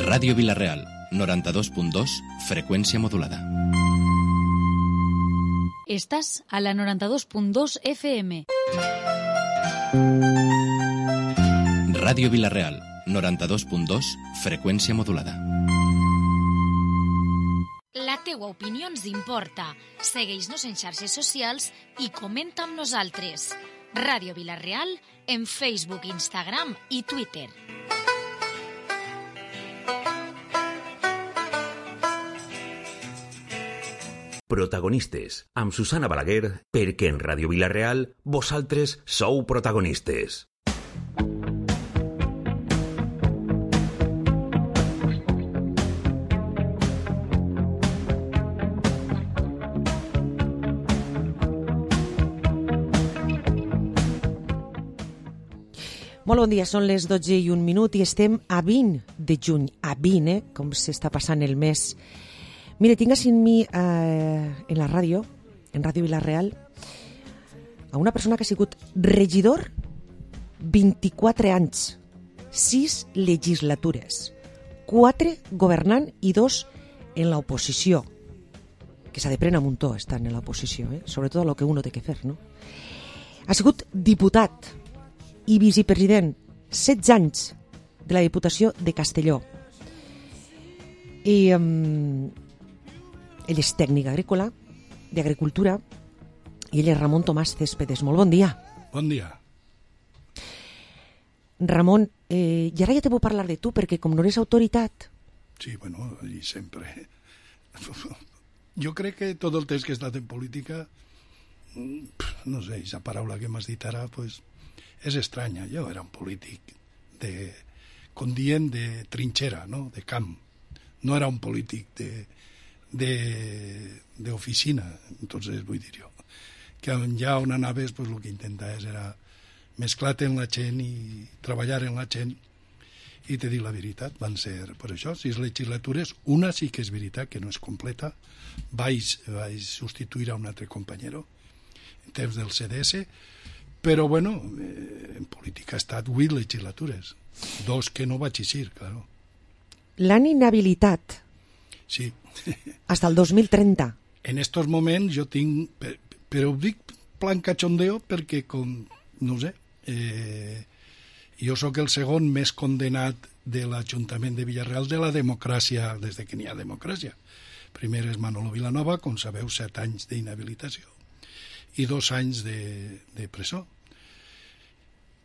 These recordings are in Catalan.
Ràdio Vila-real, 92.2, freqüència modulada. Estàs a la 92.2 FM. Ràdio Vila-real, 92.2, freqüència modulada. La teua opinió ens importa. Segueix-nos en xarxes socials i comenta amb nosaltres. Ràdio Vila-real en Facebook, Instagram i Twitter. Protagonistes, amb Susana Balaguer, perquè en Ràdio Vila-real vosaltres sou protagonistes. Molt bon dia, són les 12:01 i estem a 20 de juny, a 20, com s'està passant el mes. Mire, tinc així en mi, en la ràdio, en Ràdio Vila-real, a una persona que ha sigut regidor 24 anys, 6 legislatures, 4 governant i 2 en l'oposició, que s'ha de prendre un muntó estar en l'oposició, sobretot el que uno té que fer, no? Ha sigut diputat i vicepresident 16 anys de la Diputació de Castelló. I ell és tècnic agrícola, d'agricultura, i ell és Ramon Tomàs Céspedes. Molt bon dia. Bon dia. Ramon, i ara ja te puc parlar de tu, perquè com no eres autoritat... Sí, bueno, i sempre. Jo crec que tot el temps que he estat en política, no sé, aquesta paraula que m'has dit ara, pues, és estranya. Jo era un polític com dient, de trinxera, no? De camp. No era un polític d'oficina, entonces vull dir jo. Que allà on anaves, pues, el que intentaves era mesclar-te en la gent i treballar en la gent. I te dic la veritat, van ser, per això, 6 legislatures. Una sí que és veritat, que no és completa. Vaig substituir a un altre companyero en temps del CDS, però, bueno, en política ha estat 8 legislatures. 2 que no vaig eixir, claro. L'han inhabilitat. Sí. Hasta el 2030. En estos moments jo tinc... Però ho dic plan cachondeo perquè, com, no sé, jo sóc el segon més condenat de l'Ajuntament de Vila-real de la democràcia, des que n'hi ha democràcia. Primer és Manolo Vilanova, com sabeu, 7 anys d'inhabilitació i 2 anys de presó.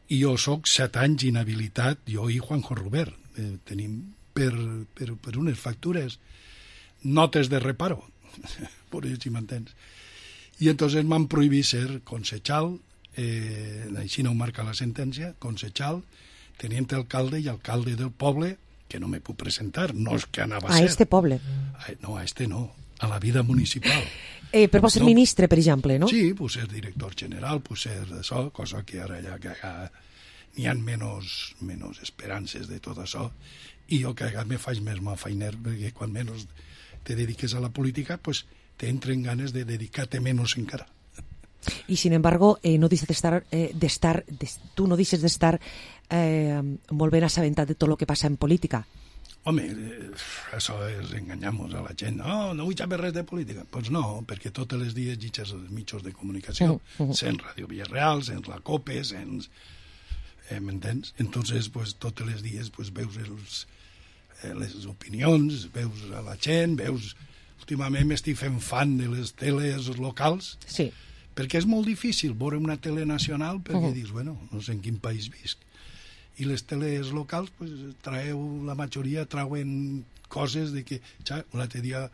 I jo sóc 7 anys inhabilitat, jo i Juanjo Rubert. Tenim per unes factures notes de reparo, per si m'entens. I entonces m'han prohibit ser concejal, així no ho marca la sentència, concejal, teniente alcalde i alcalde del poble, que no me puc presentar, no és que anava a ser. A este poble? No, a este no, a la vida municipal. Però pot ser ministre, per exemple, no? Sí, pot ser director general, pot ser això, cosa que ara ja n'hi ha menys esperances de tot això, i jo que me faig més mal feiner, perquè quan menys te dediques a la política, pues te entren ganes de dedicar-te menos encara. Y sin embargo, no deixes tu no deixes d'estar molt ben assabentat de tot el que passa en política. Home, això és enganyar-nos a la gent. No vull saber res de política. Doncs pues no, perquè tots els dies llegeixes els mitjans de comunicació, sents Ràdio Vila-real, sents la COPE, sents... m'entens? Entonces, pues, tots els dies pues, veus les opinions, veus a la gent, veus... Últimament m'estic fent fan de les teles locals, sí, perquè és molt difícil veure una tele nacional, perquè dius, bueno, no sé en quin país visc. I les teles locals, pues, la majoria trauen coses de que, un altre dia,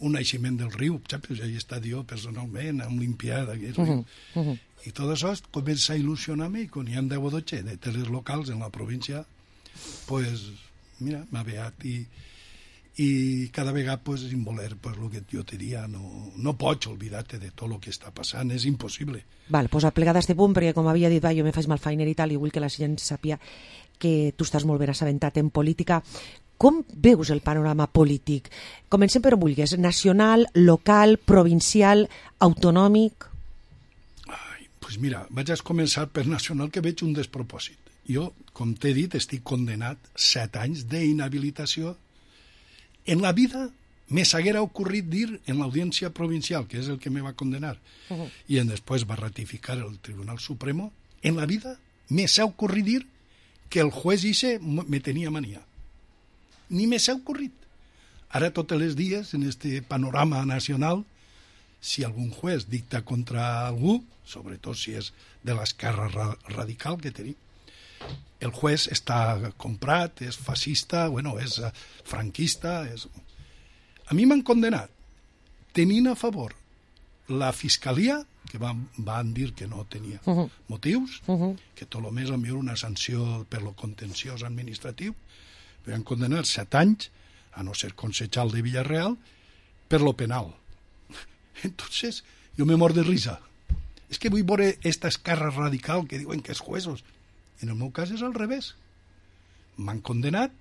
un naixement del riu, pues, ja he estat jo personalment, amb l'Olimpiada, i tot això comença a il·lusionar-me, i quan hi ha 10 o 12 de teles locals en la província, pues, mira, m'ha veat i cada vegada, pues, sin voler, pues, el que jo te diria, no pots oblidar-te de tot el que està passant, és impossible. Val, pues aplegat a este punt, perquè com havia dit, jo me faig mal feiner i tal, i vull que la gent sàpia que tu estàs molt ben assabentat en política. Com veus el panorama polític? Comencem per on vulguis, nacional, local, provincial, autonòmic? Pues mira, vaig a començar per nacional, que veig un despropòsit. jo, com t'he dit, estic condenat 7 anys d'inhabilitació. En la vida me s'haguera ocorrit dir en l'Audiència Provincial, que és el que me va condenar, i després va ratificar el Tribunal Supremo, en la vida me s'ha ocorrit dir que el juez ese me tenia mania. Ni me s'ha ocorrit. Ara tots els dies, en este panorama nacional, si algun juez dicta contra algú, sobretot si és de l'esquerra radical que tenim, el juez està comprat, és fascista, bueno, és franquista... A mi m'han condenat tenint a favor la Fiscalia, que van dir que no tenia motius, que tot el més enviar una sanció per lo contenciós administratiu, me van condenar 7 anys, a no ser concejal de Villarreal, per lo penal. Entonces, jo me mor de risa. És que vull veure esta esquerra radical que diuen que és juesos. En el meu cas és al revés. M'han condenat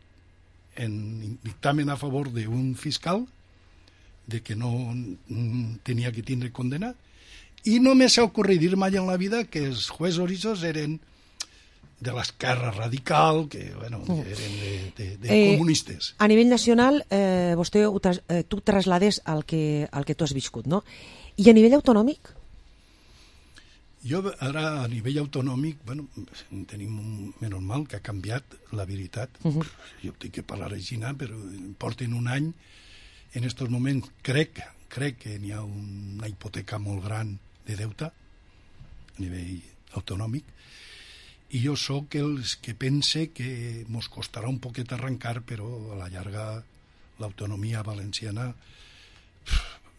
en dictamen a favor d'un fiscal de que no tenia que tindre condenat, i no me s'ha ocorrit dir mai en la vida que els juesos esos eren de l'esquerra radical, que bueno, eren de comunistes. A nivell nacional, vostè tu traslades al que tu has viscut, no? I a nivell autonòmic? Jo ara a nivell autonòmic, bueno, tenim menys mal que ha canviat la veritat. Jo tinc que parlar així, però porten un any. En aquests moments crec que n'hi ha una hipoteca molt gran de deute a nivell autonòmic, i jo sóc els que pense que mos costarà un poquet arrencar, però a la llarga l'autonomia valenciana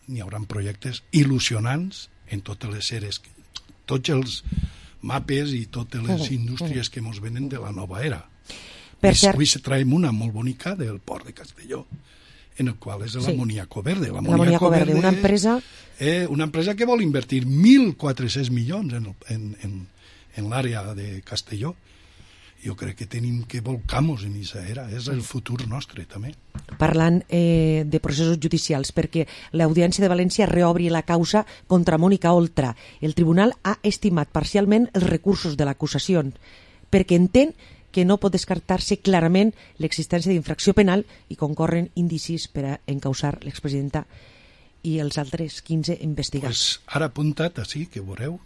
n'hi haurà projectes il·lusionants en totes les eres, tots els mapes i totes les indústries que mos venen de la nova era. Avui se traiem una molt bonica del port de Castelló, en el qual és l'Amoníaco Verde. L'Amoníaco Verde, una empresa que vol invertir 1.400 milions en l'àrea de Castelló. Jo crec que tenim que volcar-nos en aquesta era, és el futur nostre també. Parlant de processos judicials, perquè l'Audiència de València reobri la causa contra Mònica Oltra. El tribunal ha estimat parcialment els recursos de l'acusació, perquè entén que no pot descartar-se clarament l'existència d'infracció penal i concorren indicis per a encausar l'expresidenta i els altres 15 investigats. Pues ara apuntat així, que veureu,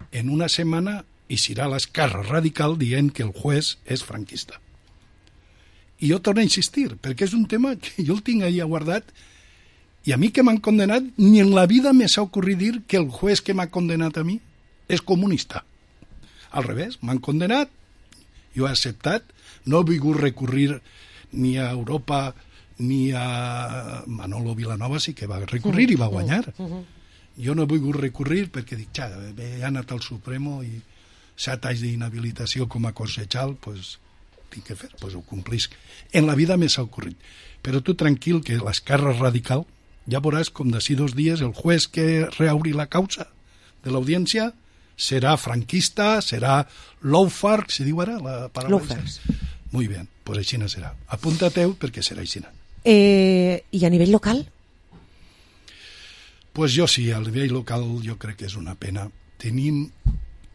en una setmana hi serà l'esquerra radical dient que el juez és franquista. I jo torno a insistir, perquè és un tema que jo el tinc allà guardat, i a mi que m'han condenat, ni en la vida me s'ha ocorrit dir que el juez que m'ha condenat a mi és comunista. Al revés, m'han condenat, jo he acceptat, no he volgut recurrir ni a Europa ni a Manolo Vilanova, sí que va recurrir i va guanyar. Jo no he volgut recurrir perquè dic, he anat al Supremo i 7 anys d'inhabilitació com a concejal, pues tinc que fer, pues ho complisc. En la vida me s'ha ocorrit. Però tu tranquil, que l'esquerra radical, ja veuràs com d'ací 2 dies el juez que reobri la causa de l'audiència serà franquista, serà lawfare, se diu ara la paraula? Lawfare. Muy bien, pues així no serà. Apunta-teu perquè serà així. I a nivell local? Pues jo sí, a nivell local jo crec que és una pena. Tenim,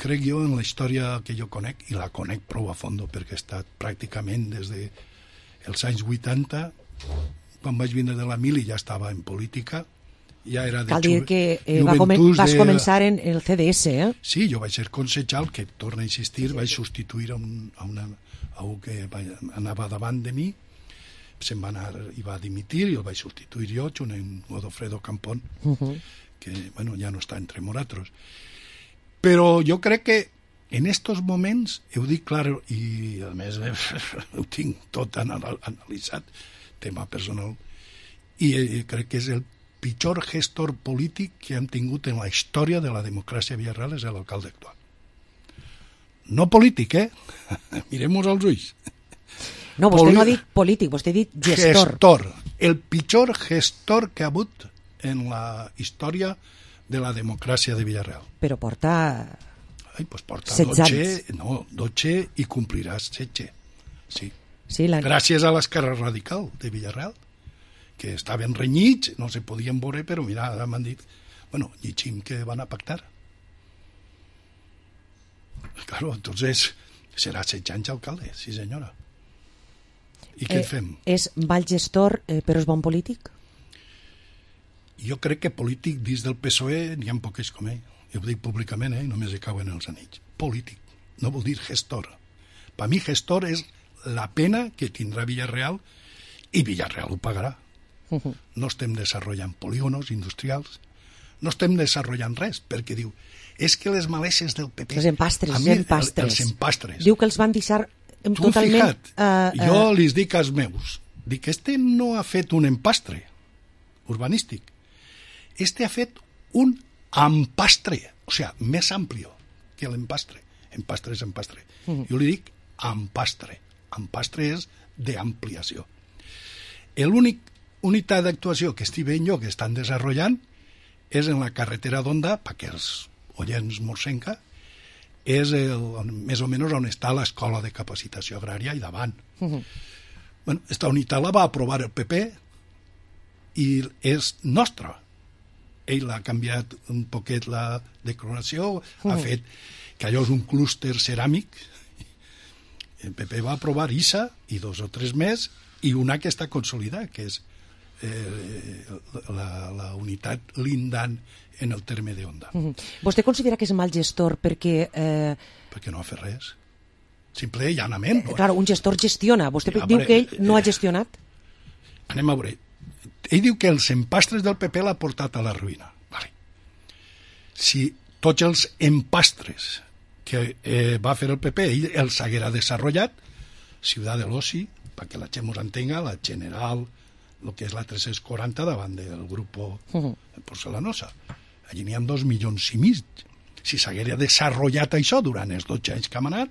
crec jo, en la història que jo conec, i la conec prou a fondo perquè he estat pràcticament des dels anys 80, quan vaig vindre de la mili ja estava en política, ja era de cal dir que vas començar en el CDS, eh? Sí, jo vaig ser concejal, que torna a insistir, vaig substituir a un que anava davant de mi, se'n va anar i va dimitir, i el vaig substituir jo, junt amb Godofredo Campón, que bueno, ja no està entre nosaltres. Però jo crec que en estos moments, ho dic clar, i a més ho tinc tot analitzat, tema personal, i crec que és el pitjor gestor polític que hem tingut en la història de la democràcia a Villarreal, és l'alcalde actual. No polític, Mirem-nos als ulls. No, vostè no ha dit polític, vostè ha dit gestor. Gestor. El pitjor gestor que ha hagut en la història de la democràcia de Villarreal. Però porta... Pues porta 16 anys. 12 i compliràs 16. Sí. Gràcies a l'esquerra radical de Villarreal, que estaven renyits, no se podien veure, però mira, ara m'han dit, bueno, llegim que van a pactar. Claro, entonces, Serà 16 anys alcalde, sí senyora. I què fem? És mal gestor, però és bon polític? Jo crec que polític dins del PSOE n'hi ha poques com ell. Jo ho dic públicament, només hi cauen els anells. Polític, no vol dir gestor. Per mi gestor és la pena que tindrà Villarreal i Villarreal ho pagarà. No estem desenvolupant polígonos industrials, no estem desenvolupant res, perquè diu, és que les maleses del PP... Els empastres, els empastres. Diu que els van deixar totalment... Jo li dic als meus, dic, este no ha fet un empastre urbanístic, este ha fet un empastre, o sigui, més amplio que l'empastre. Empastre és empastre. Jo li dic empastre. Empastre és d'ampliació. L'únic unitat d'actuació que estic veient jo que estan desenvolupant és en la carretera d'Onda, perquè els oients morsenca, és més o menys on està l'escola de capacitació agrària i davant. Bueno, esta unitat la va aprovar el PP i és nostra. Ell l'ha canviat un poquet la declaració, ha fet que allò és un clúster ceràmic. El PP va aprovar ISA i 2 o 3 més i una que està consolidada, que és la unitat lindant en el terme d'Onda. Vostè considera que és mal gestor perquè... Perquè no ha fet res. Simple i llanament. Claro, un gestor gestiona. Vostè diu que ell no ha gestionat? Anem a veure. Ell diu que els empastres del PP l'ha portat a la ruïna. Vale. Si tots els empastres que va fer el PP ell els haguera desenvolupat, Ciutat de l'Oci, perquè la gent ens entenga, la General, el que és la 340 davant del grup Porcelanosa. Allí n'hi ha 2,5 milions. Si s'haguera desenvolupat això durant els 12 anys que hem anat,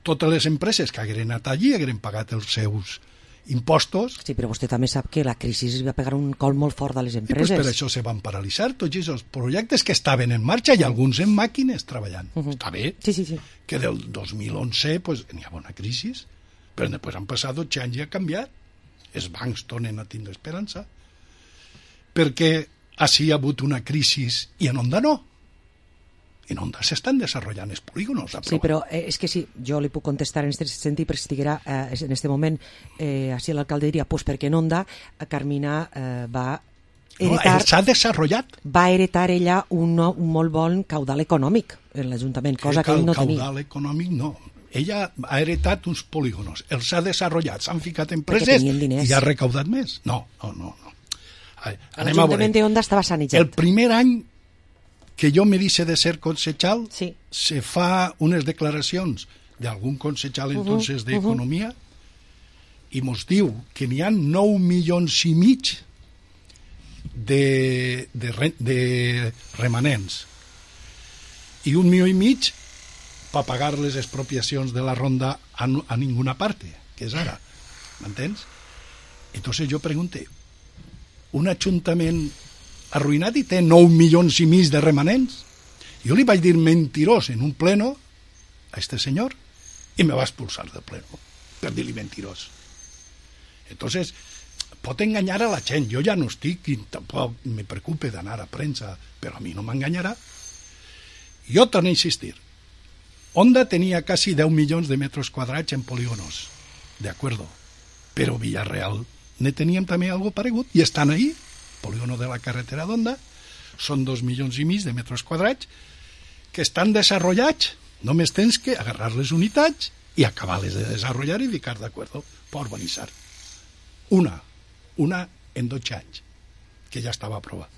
totes les empreses que hagueren anat allí hagueren pagat els seus impostos. Sí, però vostè també sap que la crisi va pegar un col molt fort a les empreses. I pues per això se van paralitzar tots aquests projectes que estaven en marxa i alguns en màquines treballant. Està bé que del 2011 pues, n'hi ha una crisi, però després han passat 12 anys i ha canviat. Els bancs tornen a tindre esperança perquè així hi ha hagut una crisi i en Onda no. En Onda s'estan desenvolupant els polígonos. Sí, però és que sí, jo li puc contestar en aquest sentit, perquè si estiguera en aquest moment així l'alcalde diria, pues perquè en Onda Carmina va heretar... No, s'ha desenvolupat. Va heretar ella un molt bon caudal econòmic en l'Ajuntament, cosa que ell no tenia. Caudal econòmic no. Ella ha heretat uns polígonos, els ha desenvolupat, s'han ficat empreses i ha recaudat més. No. L'Ajuntament d'Onda estava sanejat. El primer any que jo me dice de ser concejal, se fa unes declaracions d'algun concejal entonces d'Economia i mos diu que n'hi ha 9,5 milions de remanents i 1,5 milions per pagar les expropiacions de la ronda a ninguna parte, que és ara. M'entens? Entonces jo pregunto, un ajuntament arruïnat i té 9,5 milions de remanents? Jo li vaig dir mentirós en un pleno a este senyor i me va expulsar del pleno per dir-li mentirós. Entonces, pot enganyar a la gent. Jo ja no estic i tampoc me preocupe d'anar a premsa, però a mi no m'enganyarà. Jo torno a insistir. Onda tenia quasi 10 milions de metres quadrats en polígonos, de acuerdo, però Villarreal ne teníem també algo paregut i estan ahí. Polígono de la carretera d'Onda són 2,5 milions de metres quadrats que estan desenvolupats. Només tens que agarrar les unitats i acabar-les de desenvolupar i ficar d'acord per urbanitzar. Una en 12 anys, que ja estava aprovat.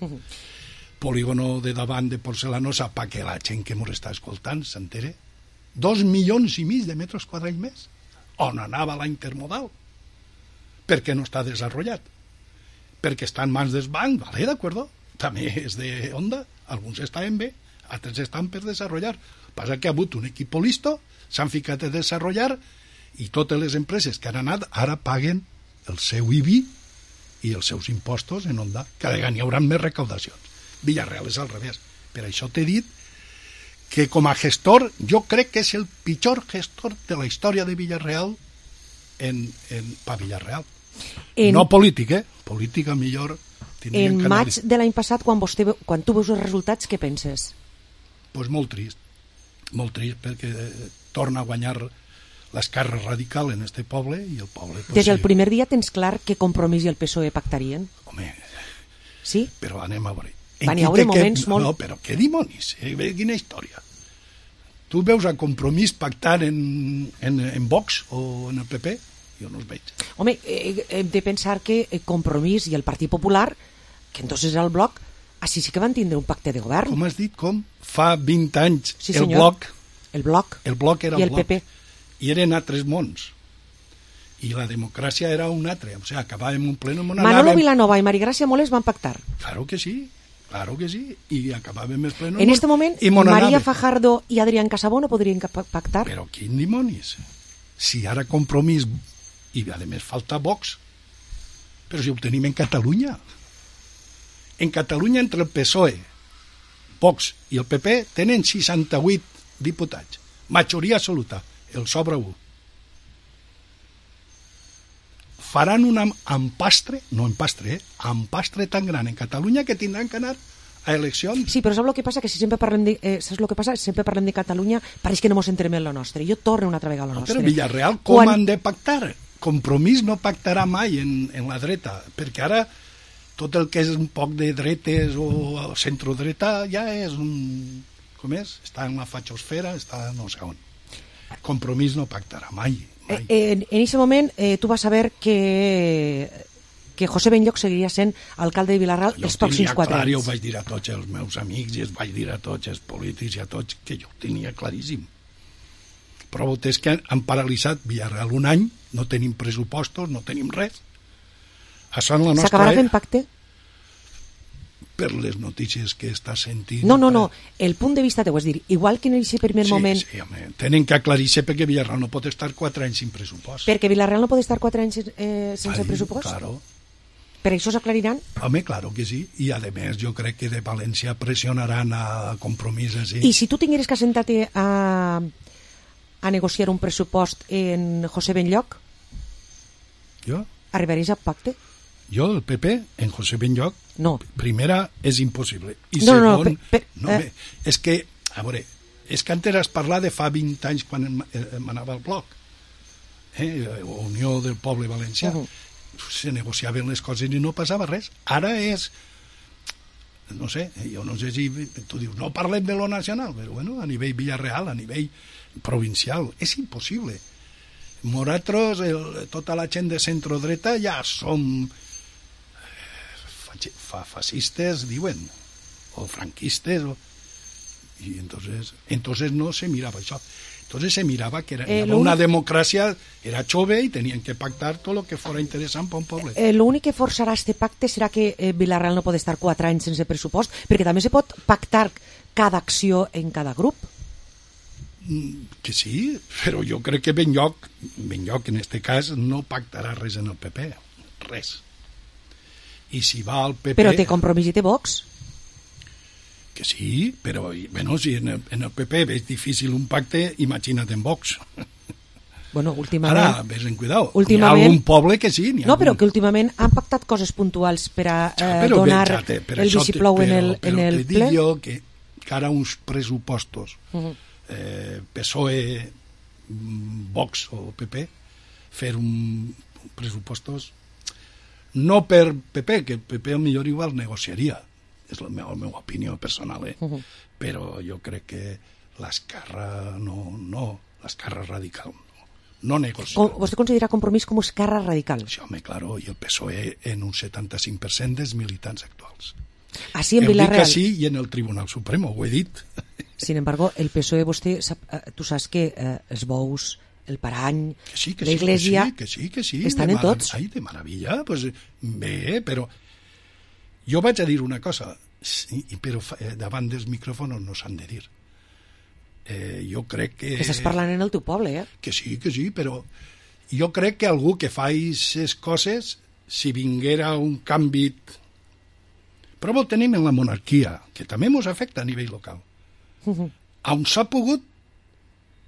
Polígono de davant de Porcelanosa, perquè la gent que ens està escoltant s'entere. 2,5 milions de metres quadrats més. On anava la intermodal? Per què no està desenvolupat? Perquè està en mans del banc, vale, d'acord? També és d'Onda, alguns estaven bé, altres estan per desenvolupar. Passa que ha hagut un equip listo, s'han ficat a desenvolupar i totes les empreses que han anat ara paguen el seu IBI i els seus impostos en Onda. Cada any hi haurà més recaudacions. Villarreal és al revés. Per això t'he dit que com a gestor jo crec que és el pitjor gestor de la història de Villarreal per Villarreal. No polític, política millor. En maig de l'any passat, quan tu veus els resultats, què penses? Pues molt trist. molt trist, perquè torna a guanyar l'esquerra radical en este poble i el poble... Des del primer dia tens clar que Compromís i el PSOE pactarien? Home, sí? Però anem a veure. Van hi haure moments molt... No, però què dimonis? Quina història? Tu veus a Compromís pactant en Vox o en el PP? Jo no els veig. Home, hem de pensar que Compromís i el Partit Popular, que entonces era el Bloc, així sí que van tindre un pacte de govern. Com has dit? Com? Fa 20 anys sí, el Bloc... El Bloc. El Bloc era i el Bloc. PP. I eren altres mons. I la democràcia era un altre. O sigui, acabàvem un pleno... Manolo Vilanova i Marigràcia Moles van pactar. Claro que sí. I acabàvem el pleno... En este moment, María Fajardo i Adrián Casabó no podrien pactar. Però quin dimonis? Si ara Compromís i a més falta Vox, però si ho tenim en Catalunya. En Catalunya, entre el PSOE, Vox i el PP tenen 68 diputats, majoria absoluta, el sobra 1. Faran un empastre tan gran en Catalunya que tindran que anar a eleccions. Sí, però saps el que passa? Que si sempre parlem de Catalunya, pareix que no mos entrem en la nostra. Jo torno una altra vegada a la nostra. Però Villarreal, com han de pactar? Compromís no pactarà mai en la dreta, perquè ara tot el que és un poc de dretes o centrodreta ja és un... Com és? Està en la fachosfera, està no sé on. Compromís no pactarà mai. En aquest moment tu vas saber que José Benlloch seguiria sent alcalde de Vilarreal els pròxims 4 anys. Jo ho vaig dir a tots els meus amics i els vaig dir a tots els polítics i a tots que jo ho tenia claríssim. Però és que han paralitzat Villarreal un any, no tenim pressupostos, no tenim res. Això en la nostra... S'acabarà fent pacte? Per les notícies que està sentint... No, el punt de vista teu, és dir, igual que en aquest primer moment... Sí, home, tenen que aclarir-se perquè Villarreal no pot estar 4 anys sin pressupost. Perquè Villarreal no pot estar 4 anys sense pressupost? Claro. Per això s'aclariran? Home, claro que sí. I a més jo crec que de València pressionaran a Compromís així. I si tu tingueres que sentar-te a negociar un pressupost en José Benlloch, jo? Arribaries a pacte? Jo, el PP, en José Benlloch, no. Primera, és impossible. I segon, és que, a veure, és que antes has parlat de fa 20 anys quan m'anava al Bloc, Unió del Poble Valencià, se negociaven les coses i no passava res. Ara és, no sé, jo no sé si tu dius, no parlem de lo nacional, però bueno, a nivell Villarreal, a nivell provincial, és impossible. Nosaltres, tota la gent de centrodreta ja som fascistes, diuen, o franquistes, i entonces no se mirava això. Entonces se mirava que era una democràcia, era jove i tenien que pactar tot el que fora interessant per un poble. L'únic que forçarà este pacte serà que Vilarreal no pot estar 4 anys sense pressupost, perquè també se pot pactar cada acció en cada grup. Que sí, però jo crec que Benlloch en este cas no pactarà res en el PP, res. I si va al PP... Però té Compromís i té Vox. Que sí, però bueno, si en el PP és difícil un pacte, imagina't en Vox. Bueno, últimament... Ara, ves en cuidao, hi ha algun poble que sí. No, però que últimament han pactat coses puntuals per a donar el viceplou en el ple. Però te dic jo que ara uns pressupostos PSOE, Vox o PP, fer un pressupostos no per PP, que PP millor igual negociaria, és la meva opinió personal, però jo crec que l'esquerra l'esquerra radical no negocia. Vostè considera Compromís com esquerra radical? Sí, home, claro, i el PSOE en un 75% dels militants actuals. Així en Vilarreal... Dic que sí, i en el Tribunal Supremo, ho he dit. Sin embargo, el PSOE, tu saps que els bous, el parany, l'Església... Que sí. Estan en tots. Ai, de meravella, pues bé, però... Jo vaig a dir una cosa, però davant dels micròfons no s'han de dir. Jo crec que... Que estàs parlant en el teu poble, Que sí, però jo crec que algú que fa aquestes coses, si vinguera un canvi... Però ho tenim en la monarquia, que també ens afecta a nivell local. On s'ha pogut,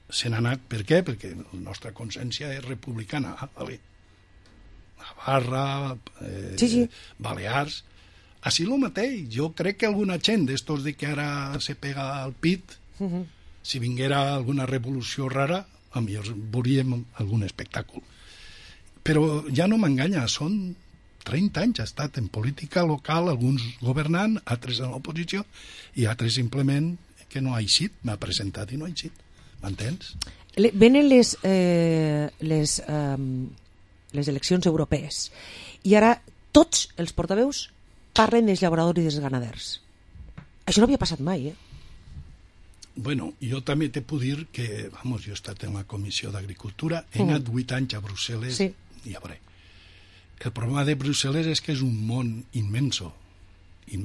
se n'ha anat. Per què? Perquè la nostra consciència és republicana. Vale. Navarra, sí. Balears... Així el mateix. Jo crec que alguna gent d'estos de que ara se pega al pit Si vinguera alguna revolució rara, potser veuríem algun espectacle. Però ja no m'enganya, són 30 anys, ha estat en política local, alguns governant, altres en l'oposició, i altres simplement que no ha eixit, m'ha presentat i no ha eixit. M'entens? Venen les eleccions europees i ara tots els portaveus parlen dels llauradors i dels ganaders. Això no havia passat mai, Bueno, jo també te puc dir que, jo he estat en la Comissió d'Agricultura, he anat 8 anys a Brussel·les, sí. I a veure, el problema de Brussel·les és que és un món immenso. El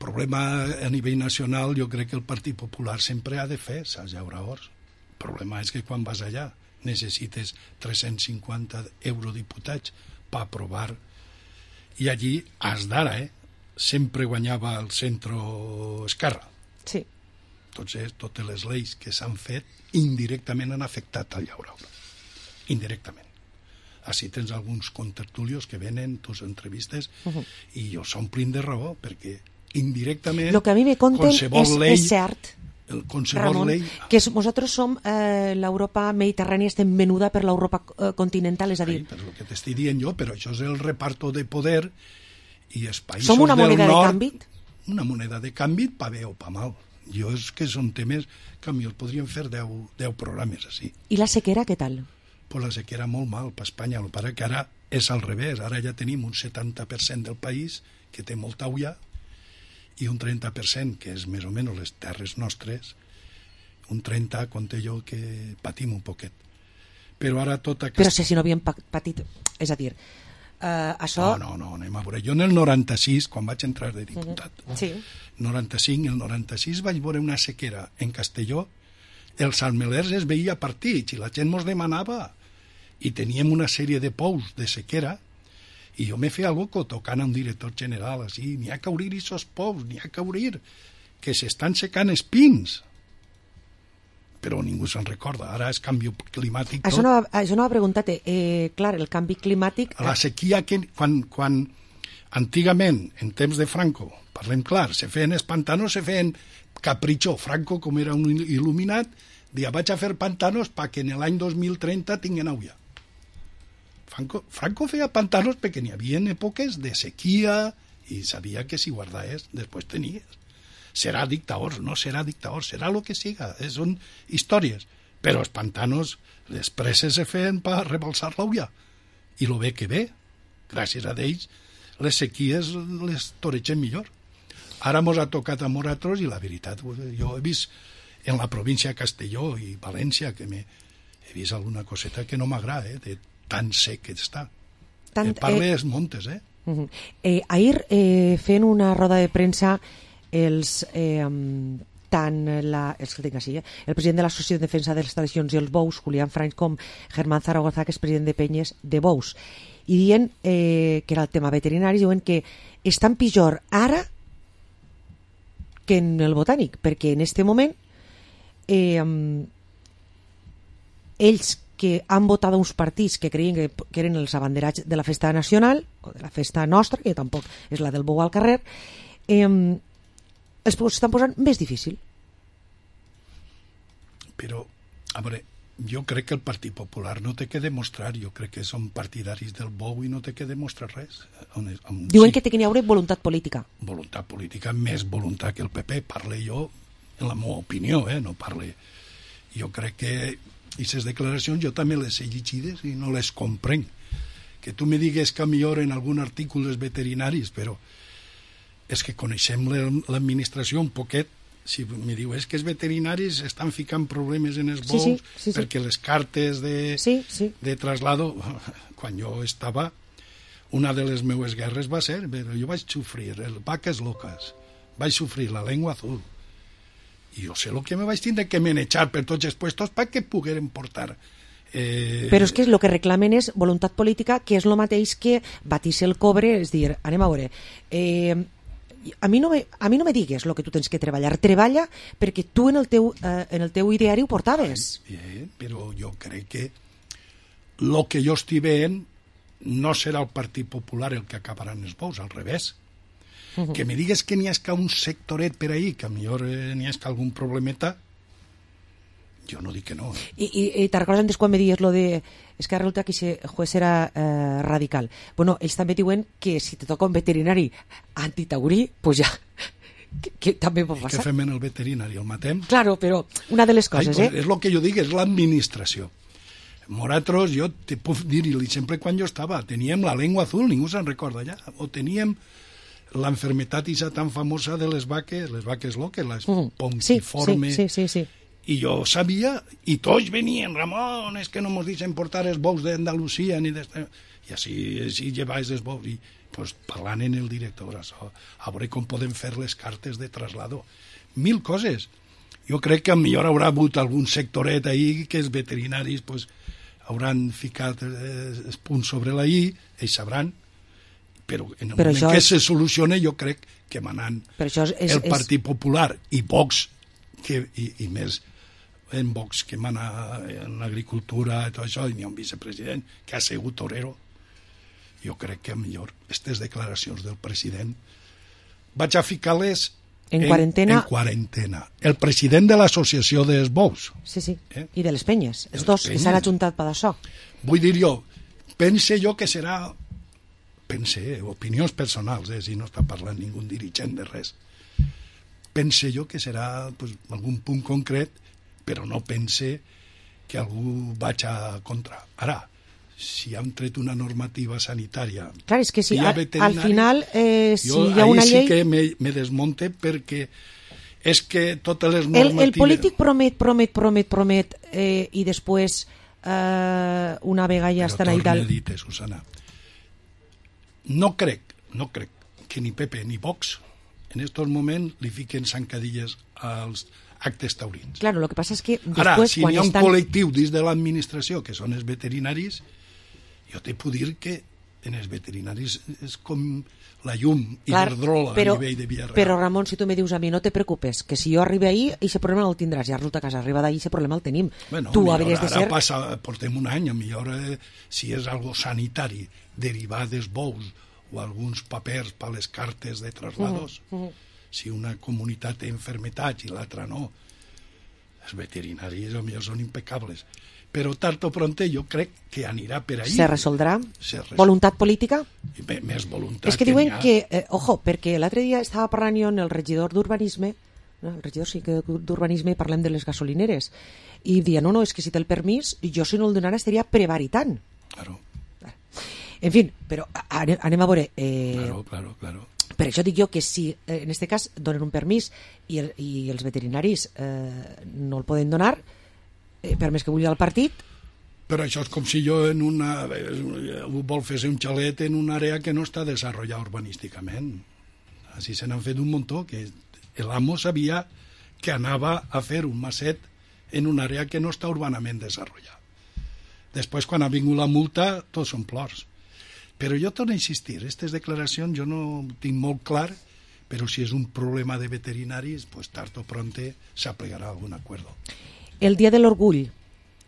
problema a nivell nacional, jo crec que el Partit Popular sempre ha de fer els llauradors. El problema és que quan vas allà necessites 350 eurodiputats per aprovar, i allí, has d'ara, sempre guanyava el centre-esquerra. Sí. Entonces, totes les lleis que s'han fet indirectament han afectat al llaurador. Indirectament. Així tens alguns contertulios que venen, tus entrevistes, i jo s'omplin de raó, perquè indirectament... Lo que a mi me conten és cert, Ramon, que nosaltres som l'Europa mediterrània, estem venuda per l'Europa continental, és a dir... Sí, però el que t'estic dient jo, però això és el reparto de poder i els països som una del moneda nord... de canvi? Una moneda de canvi, pa bé o pa mal. Jo és que són temes que a mi el podríem fer 10 programes així. I la sequera, què tal? Pues la sequera molt mal per Espanya, el pare que ara és al revés, ara ja tenim un 70% del país que té molta ulla i un 30% que és més o menys les terres nostres, un 30% compte jo que patim un poquet. Però ara tota aquesta... Però si no havíem patit, és a dir, això... No, anem a veure. Jo en el 96, quan vaig entrar de diputat, sí. 95, el 96 vaig veure una sequera en Castelló, els almelers es veia partits i la gent mos demanava i teníem una sèrie de pous de sequera i jo me feia loco tocant a un director general així, n'hi ha que obrir aquests pous, n'hi ha que obrir, que s'estan secant espins. Però ningú se'n recorda, ara és canvi climàtic tot. Això no ha preguntat, clar, el canvi climàtic... La sequia, que quan antigament, en temps de Franco, parlem clar, se feien els pantanos, se feien capritxo. Franco, com era un il·luminat, deia, vaig a fer pantanos perquè en l'any 2030 tinguin aigua. Franco feia pantanos perquè n'hi havia èpoques de sequia i sabia que si guardaves, després tenies. Serà dictador, no serà dictador, serà el que siga, són històries. Però els pantanos, les preses se feien per rebalsar l'aigua. I lo bé que ve, gràcies a ells, les sequies les toregen millor. Ara mos ha tocat a nosaltres i la veritat, jo he vist en la província de Castelló i València que he vist alguna coseta que no m'agrada, de tan sec que està. Parle dels montes, Ahir, fent una roda de premsa, el president de l'Associació de Defensa de les Tradicions i els Bous, Julián Franch, com Germán Zaragoza, que és president de Penyes de Bous, i dient que era el tema veterinari, diuen que estan pitjor ara que en el botànic, perquè en este moment ells que han votat uns partits que creien que eren els abanderats de la festa nacional o de la festa nostra, que tampoc és la del bou al carrer, estan posant més difícil. Però, a veure, jo crec que el Partit Popular no té que demostrar, jo crec que són partidaris del bou i no té que demostrar res. Diuen que té que n'hi haurà voluntat política. Voluntat política, més voluntat que el PP. Parle jo, en la meva opinió, no parle... Jo crec que aquestes declaracions jo també les he llegides i no les comprenc. Que tu me digues que millor en algun article els veterinaris, però és que coneixem l'administració un poquet. Si me diu, és que els veterinaris estan ficant problemes en els bous perquè les cartes de traslado, quan jo estava, una de les meues guerres va ser, jo vaig sofrir vaques loques, vaig sofrir la llengua azul, i jo sé el que me vaig tindre que manejar per tots els puestos perquè pogueren portar. Però és que el que reclamen és voluntat política, que és el mateix que batir-se el cobre, és dir, anem a veure, a mi no me digues el que tu tens que treballar. Treballa perquè tu en el teu ideari ho portaves. Però jo crec que el que jo estic veient no serà el Partit Popular el que acabarà en els bous, al revés. Que me digues que n'hi ha un sectoret per ahí, que a millor n'hi ha algun problemeta, jo no dic que no. I te recordes antes quan me dies lo de... És que resulta que aquest juez era radical. Bueno, ells també diuen que si te toca un veterinari antitaurí, pues ja... que també pot passar. Què fem en el veterinari? El matem? Claro, però una de les coses, pues, és el que jo dic, és l'administració. Nosaltres, jo te puc dir-li, sempre quan jo estava, teníem la llengua azul, ningú se'n recorda ja, o teníem l'enfermetat isa tan famosa de les vaques loques, les ponquiformes. Sí. I jo sabia, i tots venien, Ramon, és que no mos deixen portar els bous d'Andalusia, ni i així llevaves els bous, i pues, parlant en el director, a veure com podem fer les cartes de traslado. 1000 coses. Jo crec que millor haurà hagut algun sectoret ahí que els veterinaris pues, hauran ficat els punts sobre la i, ells sabran, però en el moment que se solucione jo crec que manant el Partit Popular i Vox, i més en Vox que mana en l'agricultura i tot això, i n'hi ha un vicepresident que ha sigut torero, jo crec que millor aquestes declaracions del president vaig a ficar-les en quarantena. El president de l'associació dels bous. Sí. I de les penyes, els dos, que s'han ajuntat per això. Vull dir jo, pense jo que serà, opinions personals, si no està parlant ningú dirigent de res, pense jo que serà pues, algun punt concret, però no pense que algú vaig a contra. Ara, si han tret una normativa sanitària... Clar, és que si al final si hi ha una llei... sí que me desmonte perquè és que totes les normatives... El polític promet i després una vegada ja estan ahí dalt... Però torna a dir-te, Susana, no crec que ni Pepe ni Vox en estos moments li fiquen zancadilles als actes taurins. Claro, lo que passa és que després... Ara, si hi ha un col·lectiu dins de l'administració que són els veterinaris, jo te puc dir que en els veterinaris és com la llum i l'hidrola a nivell de Villarreal. Però, Ramon, si tu me dius a mi, no te preocupes, que si jo arribo ahí, aquest problema no el tindràs, ja resulta que has arribat ahí, aquest problema el tenim. Bueno, tu hauries de ser... Ara portem un any, millor si és algo sanitari, derivar dels bous o alguns papers per les cartes de traslados, si una comunitat té enfermetats i l'altra no, els veterinaris potser són impecables. Però tard o pronte jo crec que anirà per ahí. Se resoldrà? Voluntat política? Més voluntat. És que diuen que, ojo, perquè l'altre dia estava parlant jo amb el regidor d'urbanisme, el regidor d'urbanisme, parlem de les gasolineres, i dia, no, és que si té el permís, jo si no el donara estaria prevaritant. Claro. En fi, però anem a veure... Claro. Per això dic jo que si en aquest cas donen un permís i els veterinaris no el poden donar, per més que vulgui el partit... Però això és com si jo vol fer-se un xalet en una àrea que no està desenvolupada urbanísticament. Així se n'han fet un muntó, que l'amo sabia que anava a fer un maset en una àrea que no està urbanament desenvolupada. Després, quan ha vingut la multa, tots són plors. Però jo torno a insistir, aquestes declaracions jo no tinc molt clar, però si és un problema de veterinaris, pues tard o pronte s'aplicarà algun acord. El dia de l'orgull,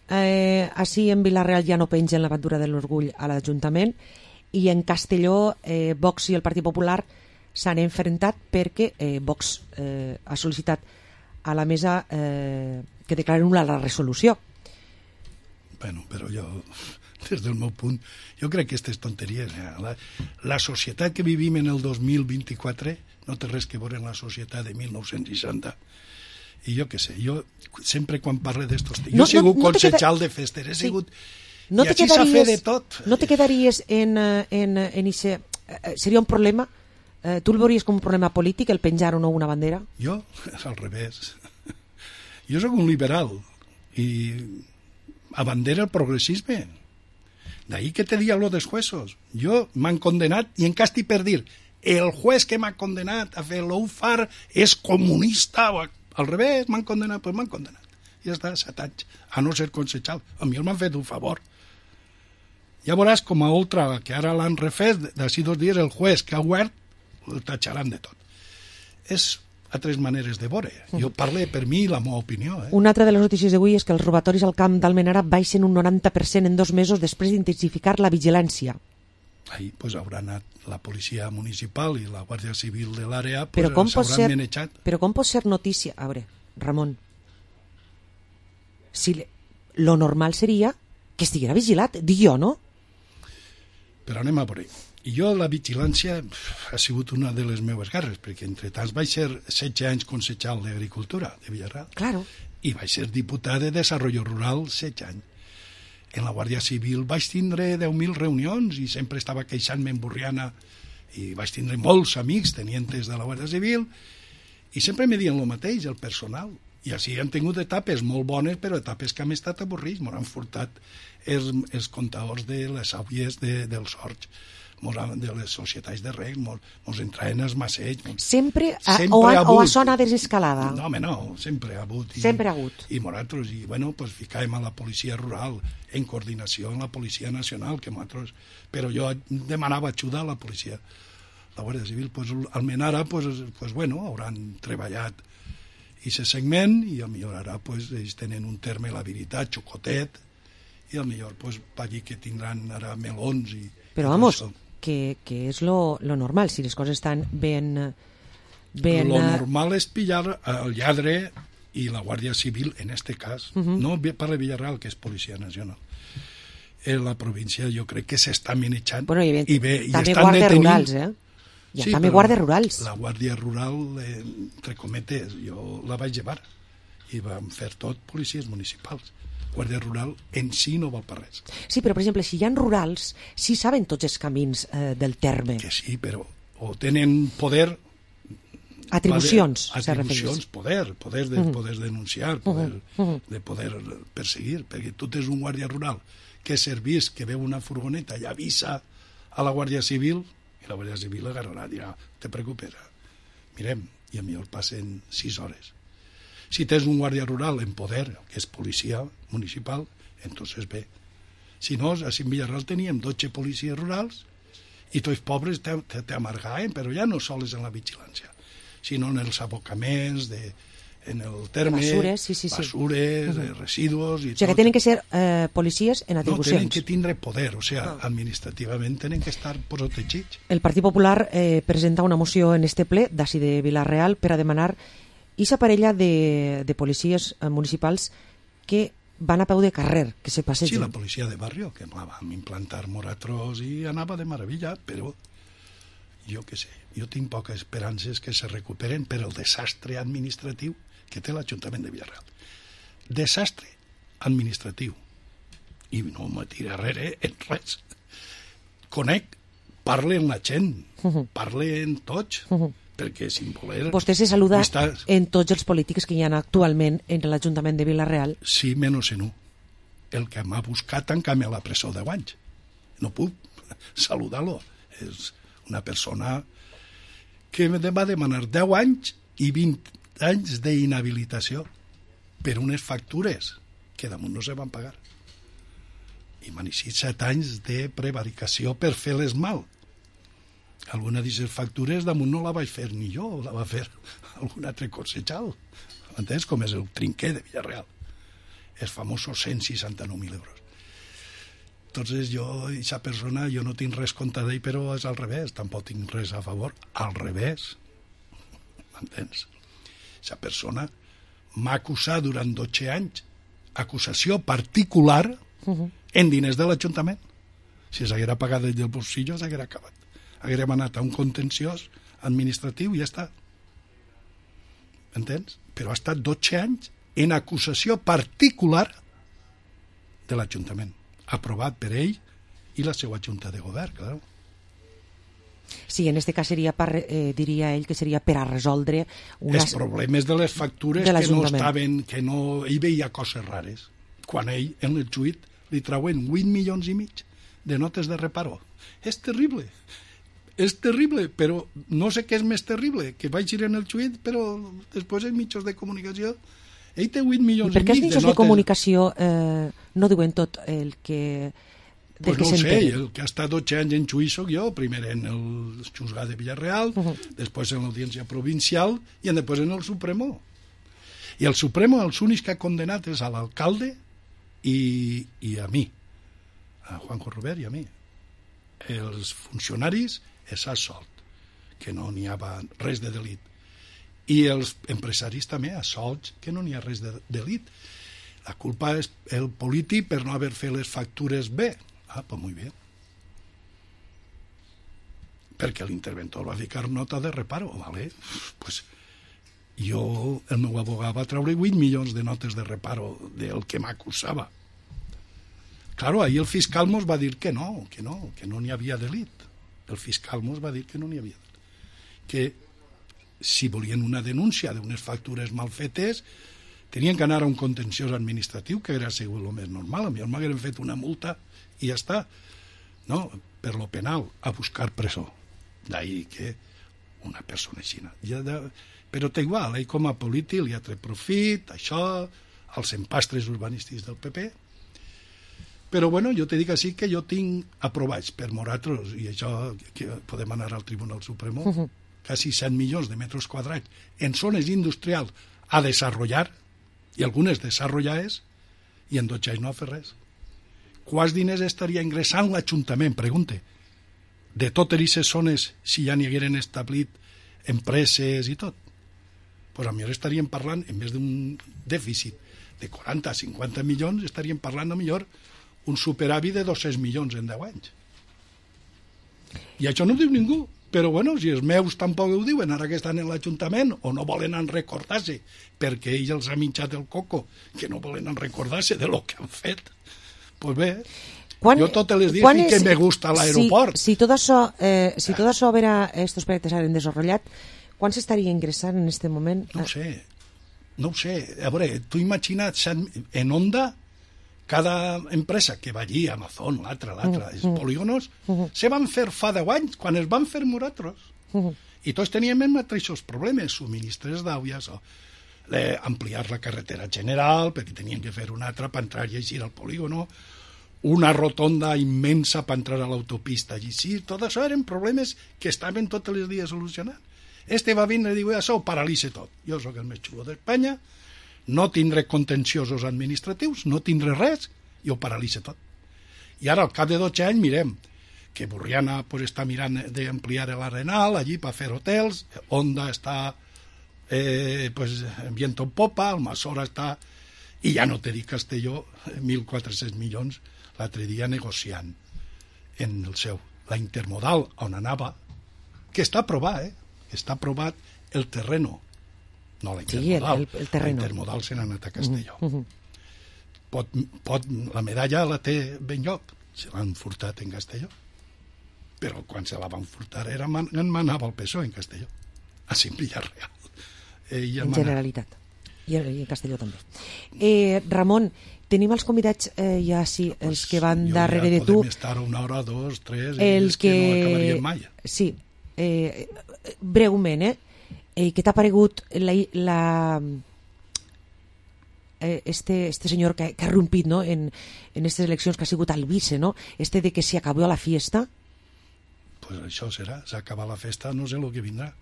així en Vila-real ja no pengen la bandera de l'orgull a l'Ajuntament, i en Castelló Vox i el Partit Popular s'han enfrontat perquè Vox ha sol·licitat a la mesa que declaren nul·la la resolució. Bueno, però jo, des del meu punt, jo crec que aquestes tonteries, la societat que vivim en el 2024 no té res que veure amb la societat de 1960. I jo què sé, jo sempre quan parlo d'estos... Jo he sigut consejal de festes, he sigut... I així s'ha fet de tot. No te quedaries en ese... Seria un problema? Tu el veuries com un problema polític, el penjar o no una bandera? Jo, és al revés. Jo sóc un liberal i abandera el progressisme. D'ahí que te diga lo dels jueces. Jo m'han condenat i en casti per dir el juez que m'ha condenat a fer l'UFAR és comunista o al revés, m'han condenat, doncs m'han condenat. Ja està, 7 anys, a no ser consejal. A mi m'han fet un favor. Ja veuràs com a Oltra, que ara l'han refet, d'ací 2 dies el juez que ha obert el tatxaran de tot. És altres maneres de veure. Jo parlo per mi la meva opinió. Una altra de les notícies d'avui és que els robatoris al camp d'Almenara baixen un 90% en 2 mesos després d'intensificar la vigilància. ahí pues haurà anat la policia municipal i la Guàrdia Civil de l'àrea, Però com pot s'hauran ser- manejat. Però com pot ser notícia? A veure, Ramon, si lo normal seria que estiguera vigilat, dic jo, no? Però anem a veure. I jo la vigilància ha sigut una de les meves guerres, perquè entre tants vaig ser 16 anys consejal d'Agricultura de Villarreal Claro. i vaig ser diputat de Desarrollo Rural 16 anys. En la Guàrdia Civil vaig tindre 10.000 reunions i sempre estava queixant-me en Burriana i vaig tindre molts amics tenientes de la Guàrdia Civil i sempre me diuen el mateix, el personal. I així han tingut etapes molt bones, però etapes que han estat avorrits. M'han furtat els comptadors de les àvies dels horts, de les societats de reg, mos entraven els maceigs. Sempre, Sempre o ha a hagut. zona desescalada. No, home, no, sempre ha hagut. Sempre ha hagut. I nosaltres, bueno, pues ficàvem a la policia rural en coordinació amb la policia nacional, que nosaltres... Però jo demanava ajuda a la policia. La Guàrdia Civil, pues, almenys ara, pues, bueno, hauran treballat i se segment, i a millor ara, pues, ells tenen un terme, la veritat, xocotet, i a millor, pues, pa allí que tindran ara melons i... Però, i vamos, tot això. que és lo normal, si les coses estan ben... Lo normal és pillar el lladre i la Guàrdia Civil, en este cas, no parla Villarreal, que és Policia Nacional. En la província jo crec que s'està manejant Bueno, i també estan guàrdies detenint. rurals, eh? Hi ha Sí, també però guàrdies rurals. La Guàrdia Rural, entre cometes, jo la vaig llevar i vam fer tot policies municipals. Guàrdia Rural en si no val per res. Sí, però, per exemple, si hi ha rurals, sí saben tots els camins del terme. Que sí, però o tenen poder... Atribucions, se atribucions, refereix. poder denunciar, de poder perseguir, perquè tu tens un guàrdia rural que servís, que veu una furgoneta i avisa a la Guàrdia Civil, i la Guàrdia Civil agarrarà, dirà, te preocupes, mirem, i a mi el passen 6 hores. Si tens un guàrdia rural en poder, que és policia municipal, entonces bé. Si no, a Villarreal teníem 12 policies rurals i tots pobres t'amargaven, però ja no sols en la vigilància, sinó en els abocaments, en el terme, Basures, sí. basures, residus... I O sigui, que tenen que ser policies en no, atribucions. tenen que tindre poder, o sigui, administrativament tenen que estar protegits. El Partit Popular presenta una moció en este ple d'ací de Vila-real per a demanar aquesta parella de policies municipals que van a peu de carrer, que se Sí, passegen. la policia de barrio, que la vam implantar moratros i anava de meravella, però jo què sé, jo tinc poques esperances que se recuperen per el desastre administratiu que té l'Ajuntament de Villarreal. Desastre administratiu. I no me tira darrere en res. Conec, parle amb la gent, parle amb tots, perquè sin voler... Vostè se saluda Estàs... en tots els polítics que hi ha actualment en l'Ajuntament de Vila-real. Sí, menys en un. El que m'ha buscat tancar-me a la presó 10 anys. No puc saludar-lo. És una persona que me va demanar 10 anys i 20 anys d'inhabilitació per unes factures que damunt no se van pagar. I m'han eixit 7 anys de prevaricació per fer-les mal. Alguna d'aquestes factures damunt no la vaig fer ni jo, la va fer algun altre consejal. Entens? Com és el trinquer de Villarreal. Els famosos 169.000 euros. Entonces jo, aquesta persona, jo no tinc res contra d'ell, però és al revés, tampoc tinc res a favor, al revés. M'entens? Aquesta persona m'ha acusat durant 12 anys, acusació particular en diners de l'Ajuntament. Si s'haguera pagat del bolsillo, s'haguera acabat. Haguérem anat a un contenciós administratiu i ja està. Entens? Però ha estat 12 anys en acusació particular de l'Ajuntament, aprovat per ell i la seva junta de govern, clar. Sí, en este cas seria diria ell que seria per a resoldre Els problemes de les factures de que no estaven, que no... Ell veia coses rares. Quan ell, en el juit, li trauen 8 milions i mig de notes de reparo. És terrible. És terrible, però no sé què és més terrible, que vaig ir en el juit, però després en mitjans de comunicació ell té 8 milions i mig de notes. Per què els mitjans de comunicació no diuen tot el que... Pues no ho sé, el que ha estat 12 anys en juí soc jo, primer en el juzgat de Villarreal, després en l'audiència provincial i després en el Supremo. I el Supremo els únics que ha condenat és a l'alcalde i a mi, a Juanjo Robert i a mi. els funcionaris és assolt, que no n'hi havia res de delit. I els empresaris també assolts, que no n'hi ha res de delit. La culpa és el polític per no haver fet les factures bé. Pues muy bien. Perquè l'interventor va ficar nota de reparo, ¿vale? Pues el meu abogat va treure 8 milions de notes de reparo del que m'acusava. Claro, ahí el fiscal mos va dir que no n'hi havia delit. El fiscal mos va dir que no n'hi havia delit. Que si volien una denúncia d'unes factures mal fetes, tenien que anar a un contenciós administratiu, que era segur el més normal. A mi m'hagueren fet una multa i ja està. No, per lo penal, a buscar presó. D'ahí que una persona així. Però té igual, ell com a polític li ha tret profit, això, als empastres urbanístics del PP. Però bueno, jo te dic així que jo tinc aprovats per nosaltres, i això que podem anar al Tribunal Supremo, quasi 100 milions de metres quadrats en zones industrials a desenvolupar, i algunes desenvolupades, i en 12 anys no ha fet res. Quants diners estaria ingressant l'Ajuntament, pregunte, de totes aquestes zones si ja n'hi hagueren establit empreses i tot? Doncs potser estaríem parlant, en vez d'un dèficit de 40-50 milions, estaríem parlant a millor un superàvit de 200 milions en 10 anys. I això no ho diu ningú. Però bueno, si els meus tampoc ho diuen, ara que estan en l'Ajuntament, o no volen recordar-se, perquè ells els ha minxat el coco, que no volen recordar-se de lo que han fet. Pues bé, jo totes les dies dic que me gusta l'aeroport. Si tot això vera estos proyectos s'han desenvolupat, quan s'estaria ingressant en aquest moment? No ho sé. A veure, tu imagina't, en Onda, cada empresa que va allí, Amazon, l'altra, els polígonos, se van fer fa 10 anys, quan es van fer nosaltres. I tots teníem els mateixos problemes, subministres d'aigua, ampliar la carretera general, perquè tenien que fer una altra per entrar i eixir al polígono, una rotonda immensa per entrar a l'autopista i eixir, tot això eren problemes que estaven tots els dies solucionant. Este va vindre i diu, això ho paralitza tot. Jo sóc el més xulo d'Espanya, no tindré contenciosos administratius, no tindré res, i ho paralitza tot. I ara, al cap de 12 anys, mirem que Burriana està mirant d'ampliar l'Arenal, allí per fer hotels, Onda està viento en popa, Almassora està... I ja no te dic Castelló, 1.400 milions l'altre dia negociant en el seu. La intermodal, on anava, que està aprovat, està aprovat el terreno. No, la intermodal. Sí, el terreno. La intermodal se n'ha anat a Castelló. La medalla la té ben lloc, se l'han furtat en Castelló. Però quan se la van furtar en manava el PSOE en Castelló. Així en Villarreal. En Generalitat. I en Castelló també. Ramon, tenim els convidats ja sí, els que van darrere de tu. Podem estar una hora, dos, tres, els que no acabaríem mai. Sí, breument, què t'ha paregut este senyor que ha rompit, ¿no? en estas eleccions, que ha sigut el vice, ¿no? De que se acabó la fiesta? Pues això serà, s'acaba la festa, no sé el que vindrà,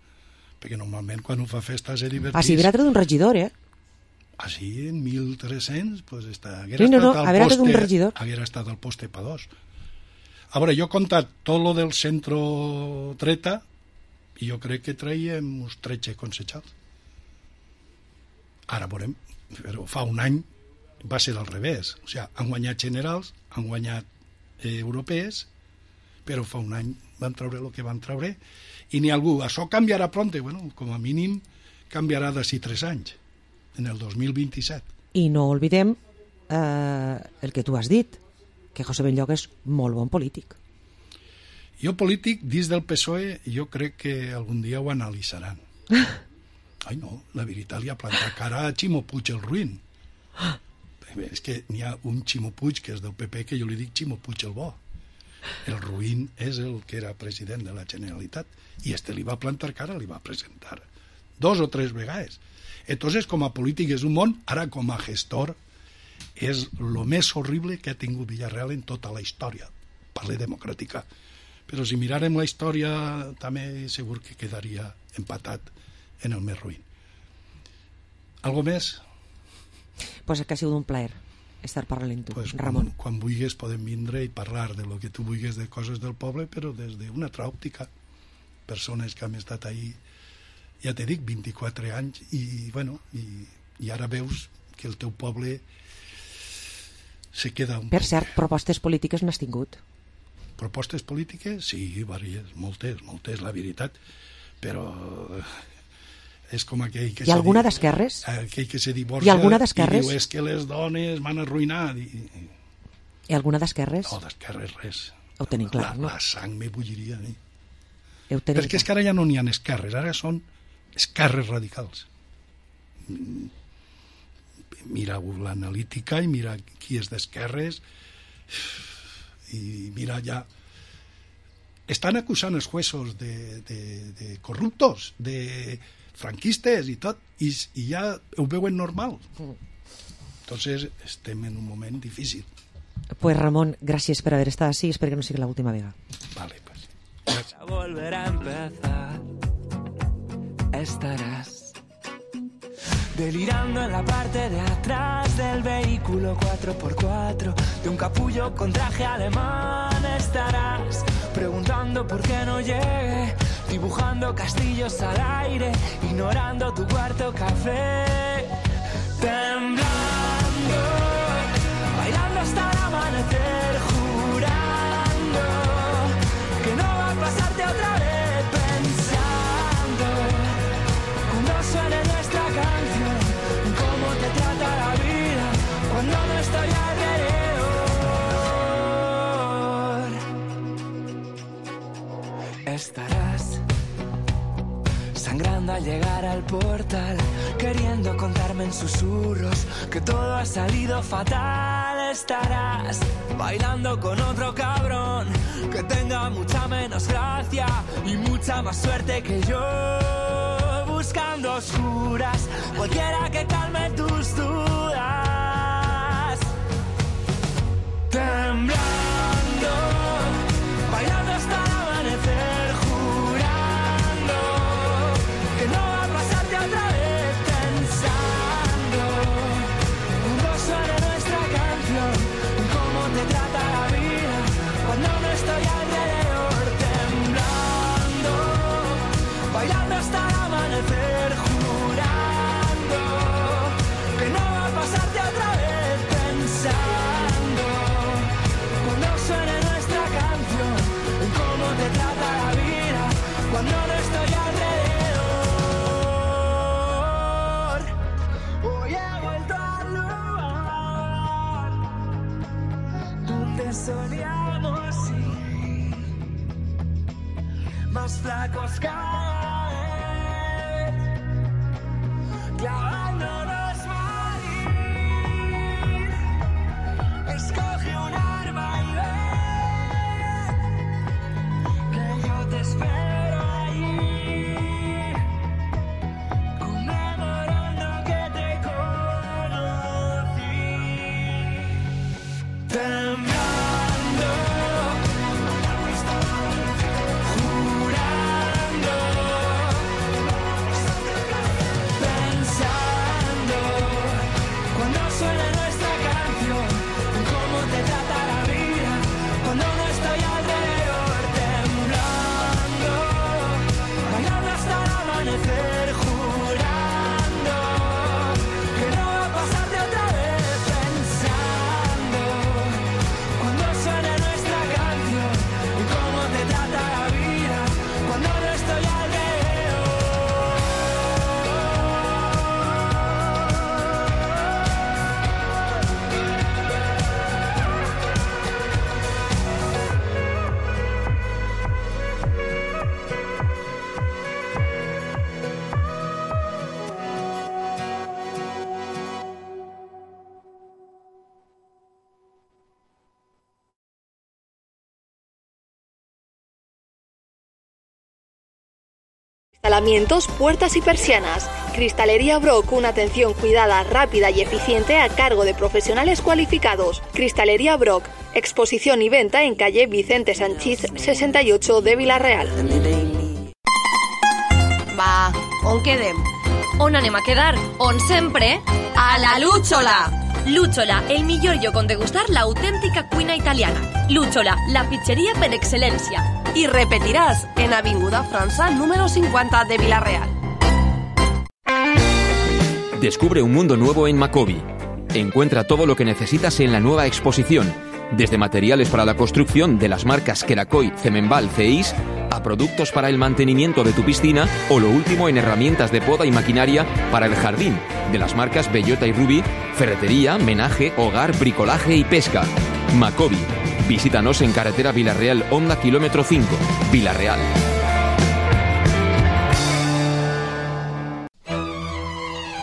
perquè normalment quan ho fa festa se divertís. Ah, sí, haurà tret un regidor, Així, en 1.300, pues haguera estat al poste pa dos. A veure, jo he comptat tot lo del centro dreta i jo crec que traiem uns 13 concejals. Ara veurem, però fa un any va ser al revés. O sigui, han guanyat generals, han guanyat europees, però fa un any van treure el que van treure i ni algú. Això canviarà pronte, bueno, com a mínim canviarà d'ací 3 anys, en el 2027. I no oblidem el que tu has dit, que José Benlloc és molt bon polític. Jo polític, dins del PSOE, jo crec que algun dia ho analitzaran. Ai no, la veritat li ha plantat cara a Ximo Puig el ruïn. És que n'hi ha un Ximo Puig que és del PP que jo li dic Ximo Puig el bo. El ruïn és el que era president de la Generalitat i li va plantar cara, li va presentar 2 o 3 vegades. Entonces, com a polític és un món, ara com a gestor és el més horrible que ha tingut Villarreal en tota la història, parle democràtica. Però si mirarem la història també segur que quedaria empatat en el més ruïn. Algo més? Pues que ha sigut un plaer. estar parlant amb tu, pues, Ramon. Quan vulguis podem vindre i parlar de lo que tu vulguis de coses del poble, però des d'una altra òptica. Persones que han estat ahí, ja t'he dit, 24 anys, i bueno, i ara veus que el teu poble se queda un... Per cert, propostes polítiques n'has tingut? Propostes polítiques? Sí, diverses, moltes, la veritat, però és com aquell que... Hi ha alguna d'esquerres? Aquell que se divorcia... Hi ha alguna d'esquerres? I diu, és que les dones m'han arruïnat. Hi ha alguna d'esquerres? No, d'esquerres res. Ho tenim clar, no? La sang me bulliria. Perquè és que ara ja no n'hi ha esquerres, ara són esquerres radicals. Mira l'analítica i mira qui és d'esquerres i mira ja... Estan acusant els jueços de corruptos, de franquistes i tot, i ja ho veuen normal. Entonces estem en un moment difícil. Pues Ramon, gràcies per haver estat així, espero que no sigui l'última vegada. Vale, pues. A volver a empezar, estarás delirando en la parte de atrás del vehículo 4x4 de un capullo con traje alemán. Estarás preguntando por qué no llegue, dibujando castillos al aire, ignorando tu cuarto café, temblando, bailando hasta el amanecer, jurando que no va a pasarte otra vez, pensando cuando suene nuestra canción, cómo te trata la vida cuando no estoy alrededor. Estarás sangrando al llegar al portal, queriendo contarme en susurros que todo ha salido fatal. Estarás bailando con otro cabrón que tenga mucha menos gracia y mucha más suerte que yo, buscando oscuras cualquiera que calme tus dudas, temblando, bailando hasta el amanecer, jurando que no va a pasarte otra vez, pensando cuando suene nuestra canción, cómo te trata la vida cuando no estoy alrededor, temblando, bailando hasta el amanecer, jurando que no va a pasarte otra vez, pensando cuando suene nuestra canción, cómo te trata la vida cuando no estoy alrededor. Hoy he vuelto al lugar donde soñamos ir, más flacos cada vez, clavándonos morir. Escoge un arma y ven, que yo te espero ahí, conmemorando que te conocí, temblando, jurando, pensando cuando suene nuestra canción, cómo te trata la vida cuando no estoy alrededor, temblando, bailando hasta el amanecer, jurando que no va a pasarte otra vez, pensando cuando suene nuestra canción, cómo te trata la vida cuando no estoy alrededor. Instalamientos, puertas y persianas. Cristalería Brock, una atención cuidada, rápida y eficiente a cargo de profesionales cualificados. Cristalería Brock, exposición y venta en calle Vicente Sanchís 68 de Vila-real. Va, on quedem? On anem a quedar? On sempre? A la Lúchola! Lúchola, el millor lloc on degustar l'autèntica cuina italiana. Lúchola, la pizzeria per excel·lència. Y repetirás en Avinguda França número 50 de Vila-real. Descubre un mundo nuevo en Macobi. Encuentra todo lo que necesitas en la nueva exposición, desde materiales para la construcción de las marcas Kerakoy, Cemenbal, CEIS, a productos para el mantenimiento de tu piscina o lo último en herramientas de poda y maquinaria para el jardín, de las marcas Bellota y Ruby, ferretería, menaje, hogar, bricolaje y pesca. Macobi. Visítanos en carretera Vila-real, Honda kilómetro 5, Vila-real.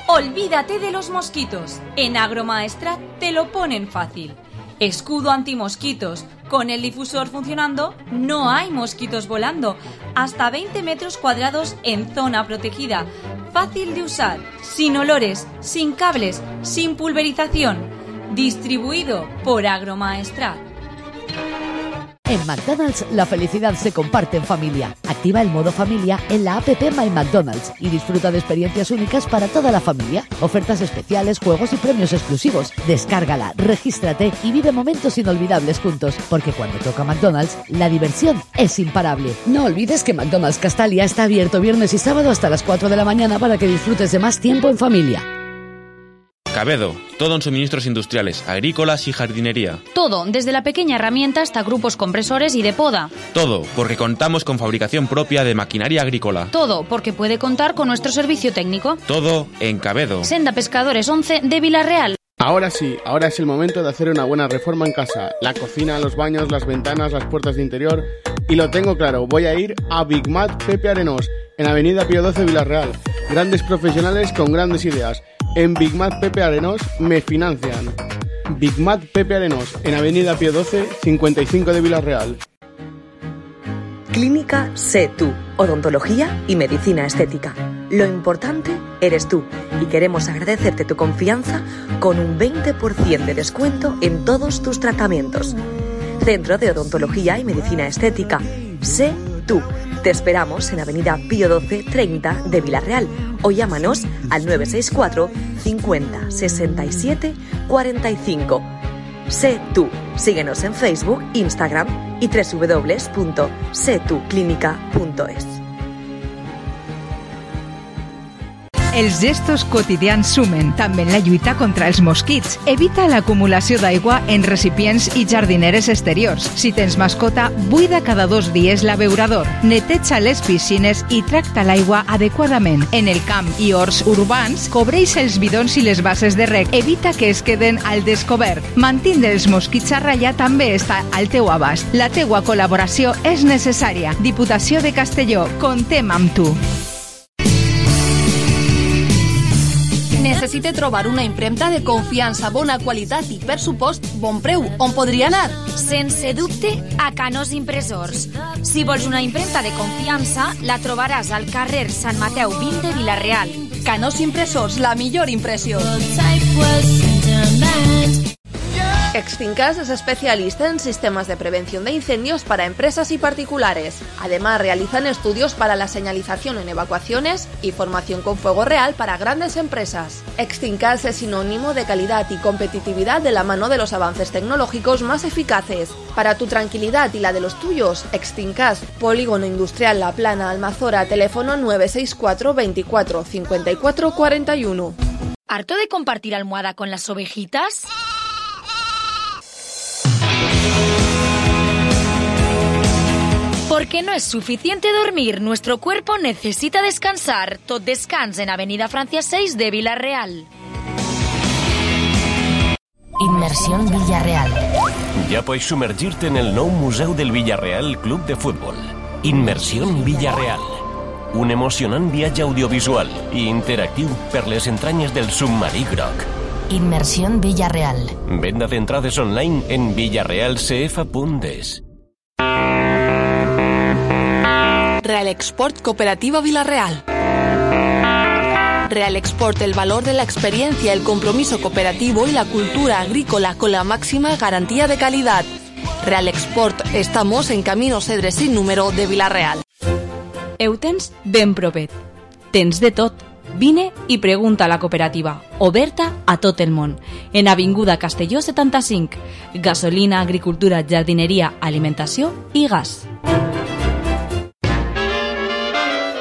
Olvídate de los mosquitos. En Agromaestrat te lo ponen fácil. Escudo antimosquitos. Con el difusor funcionando, no hay mosquitos volando. Hasta 20 metros cuadrados en zona protegida. Fácil de usar, sin olores, sin cables, sin pulverización. Distribuido por Agromaestrat. En McDonald's la felicidad se comparte en familia. Activa el modo familia en la app My McDonald's y disfruta de experiencias únicas para toda la familia. Ofertas especiales, juegos y premios exclusivos. Descárgala, regístrate y vive momentos inolvidables juntos. Porque cuando toca McDonald's, la diversión es imparable. No olvides que McDonald's Castalia está abierto viernes y sábado hasta las 4 de la mañana para que disfrutes de más tiempo en familia. Cabedo, todo en suministros industriales, agrícolas y jardinería. Todo, desde la pequeña herramienta hasta grupos compresores y de poda. Todo, porque contamos con fabricación propia de maquinaria agrícola. Todo, porque puede contar con nuestro servicio técnico. Todo en Cabedo. Senda Pescadores 11 de Vila-real. Ahora sí, ahora es el momento de hacer una buena reforma en casa. La cocina, los baños, las ventanas, las puertas de interior. Y lo tengo claro, voy a ir a Big Mat Pepe Arenós, en Avenida Pío XII Vila-real. Grandes profesionales con grandes ideas. En Big Mat Pepe Arenós me financian. Big Mat Pepe Arenós, en Avenida Pío XII, 55 de Vila-real. Clínica Sé Tú, odontología y medicina estética. Lo importante eres tú y queremos agradecerte tu confianza con un 20% de descuento en todos tus tratamientos. Centro de Odontología y Medicina Estética. Sé Tú. Te esperamos en Avenida Pío XII 30 de Vila-real o llámanos al 964 50 67 45. Sé Tú. Síguenos en Facebook, Instagram y www.setuclinica.es. Els gestos quotidians sumen, també en la lluita contra els mosquits. Evita l'acumulació d'aigua en recipients i jardineres exteriors. Si tens mascota, buida cada 2 dies l'abeurador. Neteja les piscines i tracta l'aigua adequadament. En el camp i horts urbans, cobreix els bidons i les bases de reg. Evita que es queden al descobert. Mantindre els mosquits a ratlla també està al teu abast. La teua col·laboració és necessària. Diputació de Castelló, comptem amb tu. Necessite trobar una impremta de confiança, bona qualitat i, per supost, bon preu. On podria anar? Sense dubte, a Canós Impressors. Si vols una impremta de confiança, la trobaràs al carrer Sant Mateu 20 de Vila-real. Canós Impressors, la millor impressió. Extincas es especialista en sistemas de prevención de incendios para empresas y particulares. Además, realizan estudios para la señalización en evacuaciones y formación con fuego real para grandes empresas. Extincas es sinónimo de calidad y competitividad de la mano de los avances tecnológicos más eficaces. Para tu tranquilidad y la de los tuyos, Extincas, Polígono Industrial La Plana, Almazora, teléfono 964 24 54 41. ¿Harto de compartir almohada con las ovejitas? Porque no es suficiente dormir, nuestro cuerpo necesita descansar. Tot descans en Avenida Francia 6 de Vila-real. Inmersión Villarreal. Ya puedes sumergirte en el nou Museu del Villarreal Club de Fútbol. Inmersión Villarreal. Un emocionant viatge audiovisual i interactiu per les entranyes del submarí groc. Inmersión Villarreal. Venda d'entrades online en villarrealcf.es. Real Export Cooperativa Vila-real. Real Export, el valor de la experiencia, el compromiso cooperativo y la cultura agrícola con la máxima garantía de calidad. Real Export, estamos en Camino Cedres sin número de Vila-real. Heu tens ben provet. Tens de tot. Vine i pregunta a la cooperativa, oberta a tot el món, en Avinguda Castelló 75. Gasolina, agricultura, jardineria, alimentació i gas.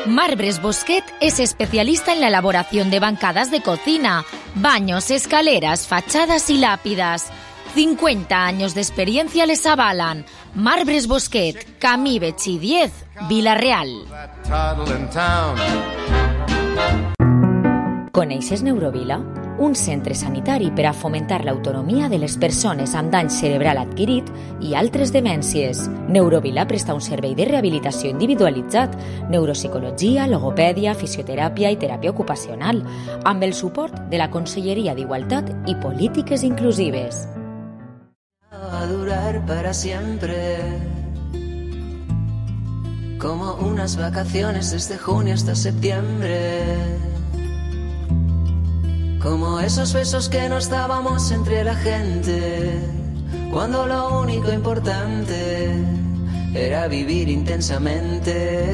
Marbres Bosquet es especialista en la elaboración de bancadas de cocina, baños, escaleras, fachadas y lápidas. 50 años de experiencia les avalan. Marbres Bosquet, Camí Betxí 10, Vila-real. Coneixes Neurovila? Un centre sanitari per a fomentar l'autonomia de les persones amb dany cerebral adquirit i altres demències. Neurovila presta un servei de rehabilitació individualitzat, neuropsicologia, logopèdia, fisioteràpia i teràpia ocupacional, amb el suport de la Conselleria d'Igualtat i Polítiques Inclusives. Va a durar para siempre, como unas vacaciones desde junio hasta septiembre. Como esos besos que nos dábamos entre la gente, cuando lo único importante era vivir intensamente.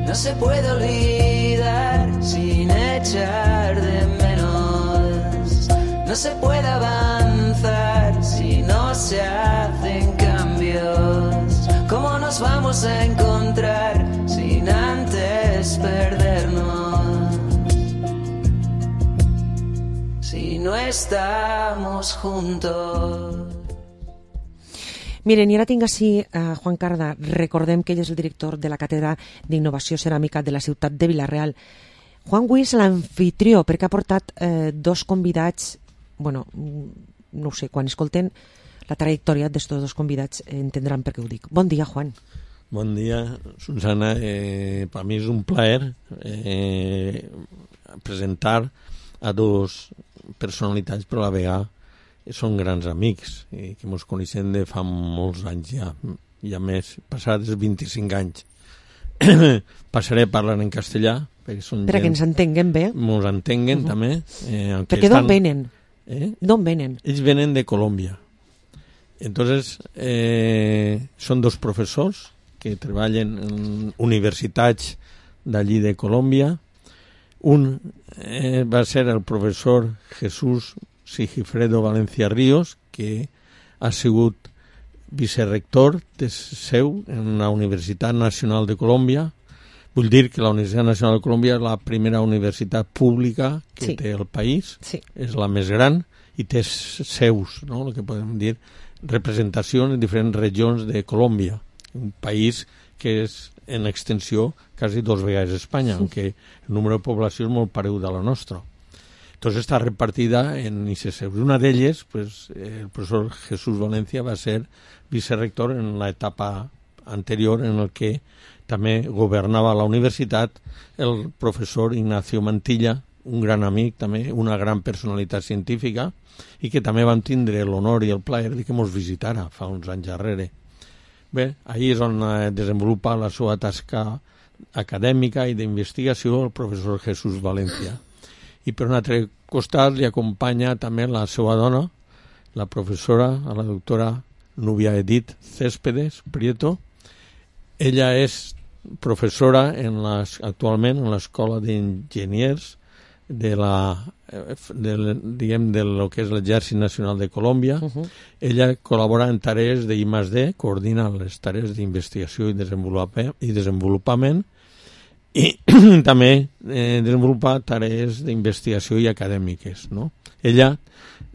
No se puede olvidar sin echar de menos. No se puede avanzar si no se hacen cambios. ¿Cómo nos vamos a encontrar sin antes perdernos? Si no estamos juntos. Miren, i ara tinc així Juan Carda. Recordem que ell és el director de la Càtedra d'Innovació Ceràmica de la ciutat de Vila-real. Juan Gui és l'anfitrió perquè ha portat dos convidats, bueno, no ho sé, quan escolten la trajectòria d'estos dos convidats entendran per què ho dic. Bon dia, Juan. Bon dia, Susana. Per mi és un plaer presentar a dos personalitats, però a la vegada són grans amics que ens coneixem de fa molts anys ja més, passats 25 anys. Passaré a parlar en castellà perquè ens entenguen bé. Ens entenguen també. Perquè d'on venen? D'on venen? Ells venen de Colòmbia. Entonces, són dos professors que treballen en universitats d'allí de Colòmbia. Un va ser el professor Jesús Sigifredo Valencia Ríos, que ha sigut vicerrector de seu en la Universitat Nacional de Colòmbia. Vull dir que la Universitat Nacional de Colòmbia és la primera universitat pública que té el país, és la més gran i té seus, no? El que podem dir, representacions en diferents regions de Colòmbia, un país que és en extensió quasi 2 vegades Espanya, aunque el número de població és molt pareu de la nostra. Entonces està repartida en ICSEUs. Una d'elles, pues, el professor Jesús Valencia va ser vicerrector en la etapa anterior en el que també governava la universitat el professor Ignacio Mantilla, un gran amic també, una gran personalitat científica, i que també vam tindre l'honor i el plaer de que ens visitara fa uns anys darrere. Bé, ahir és on desenvolupa la seva tasca acadèmica i d'investigació el professor Jesús Valencia. I per un altre costat li acompanya també la seva dona, la professora, la doctora Nubia Edith Céspedes Prieto. Ella és professora actualment en l'Escola d'Enginyers de lo que és l'Exèrcit Nacional de Colòmbia. Ella col·labora en tarees d'I+D, coordina les tarees d'investigació i desenvolupament, i també desenvolupa tarees d'investigació i acadèmiques, no? Ella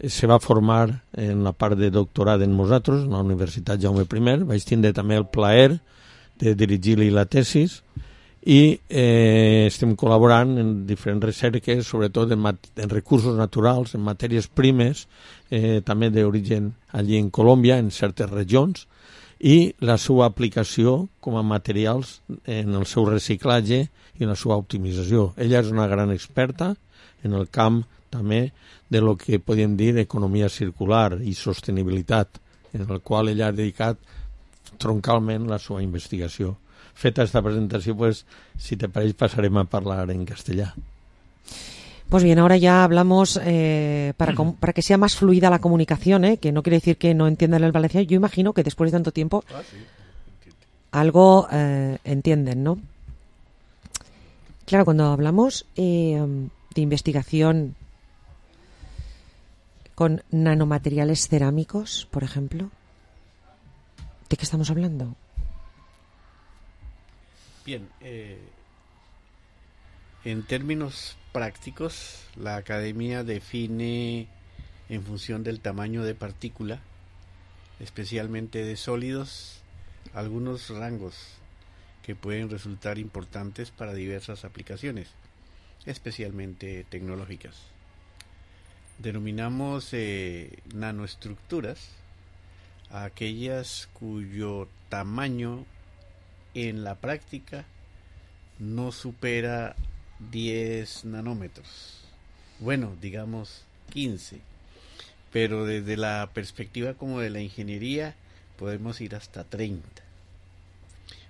se va formar en la part de doctorat en nosaltres, en la Universitat Jaume I. Vaig tindre també el plaer de dirigir-li la tesis i estem col·laborant en diferents recerques, sobretot en recursos naturals, en matèries primes, també d'origen allí en Colòmbia, en certes regions, i la seva aplicació com a materials en el seu reciclatge i en la seva optimització. Ella és una gran experta en el camp també de lo que podem dir economia circular i sostenibilitat, en el qual ella ha dedicat troncalment la seva investigació. Feta esta presentació, pues, si te parece, pasarem a parlar en castellà. Pues bien, ahora ya hablamos para que sea más fluida la comunicación, que no quiere decir que no entiendan el valenciano. Yo imagino que después de tanto tiempo algo entienden, ¿no? Claro, cuando hablamos de investigación con nanomateriales cerámicos, por ejemplo, ¿de qué estamos hablando? Bien, en términos prácticos, la academia define en función del tamaño de partícula, especialmente de sólidos, algunos rangos que pueden resultar importantes para diversas aplicaciones, especialmente tecnológicas. Denominamos nanoestructuras a aquellas cuyo tamaño en la práctica no supera 10 nanómetros. Bueno, digamos 15. Pero desde la perspectiva como de la ingeniería podemos ir hasta 30.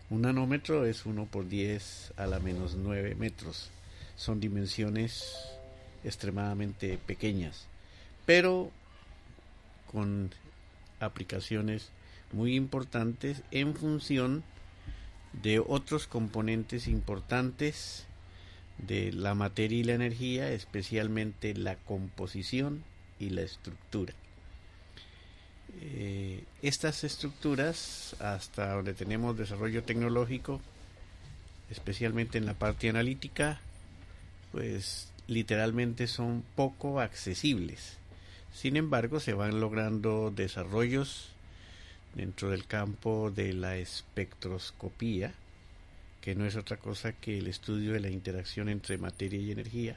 Un nanómetro es 1 por 10 a la menos 9 metros. Son dimensiones extremadamente pequeñas, pero con aplicaciones muy importantes en función de otros componentes importantes de la materia y la energía, especialmente la composición y la estructura. Estas estructuras, hasta donde tenemos desarrollo tecnológico, especialmente en la parte analítica, pues literalmente son poco accesibles. Sin embargo, se van logrando desarrollos dentro del campo de la espectroscopía, que no es otra cosa que el estudio de la interacción entre materia y energía,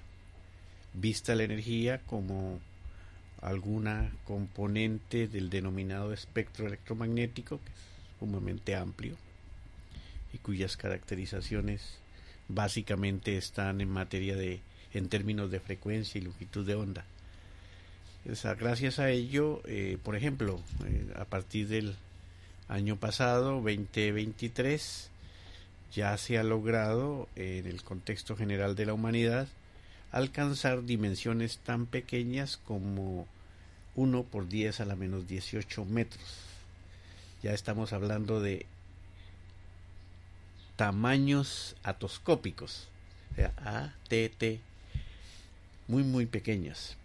vista la energía como alguna componente del denominado espectro electromagnético, que es sumamente amplio y cuyas caracterizaciones básicamente están en términos de frecuencia y longitud de onda. Gracias a ello, por ejemplo, a partir del año pasado, 2023, ya se ha logrado, en el contexto general de la humanidad, alcanzar dimensiones tan pequeñas como 1 por 10 a la menos 18 metros. Ya estamos hablando de tamaños atoscópicos, o sea, ATT, muy pequeñas.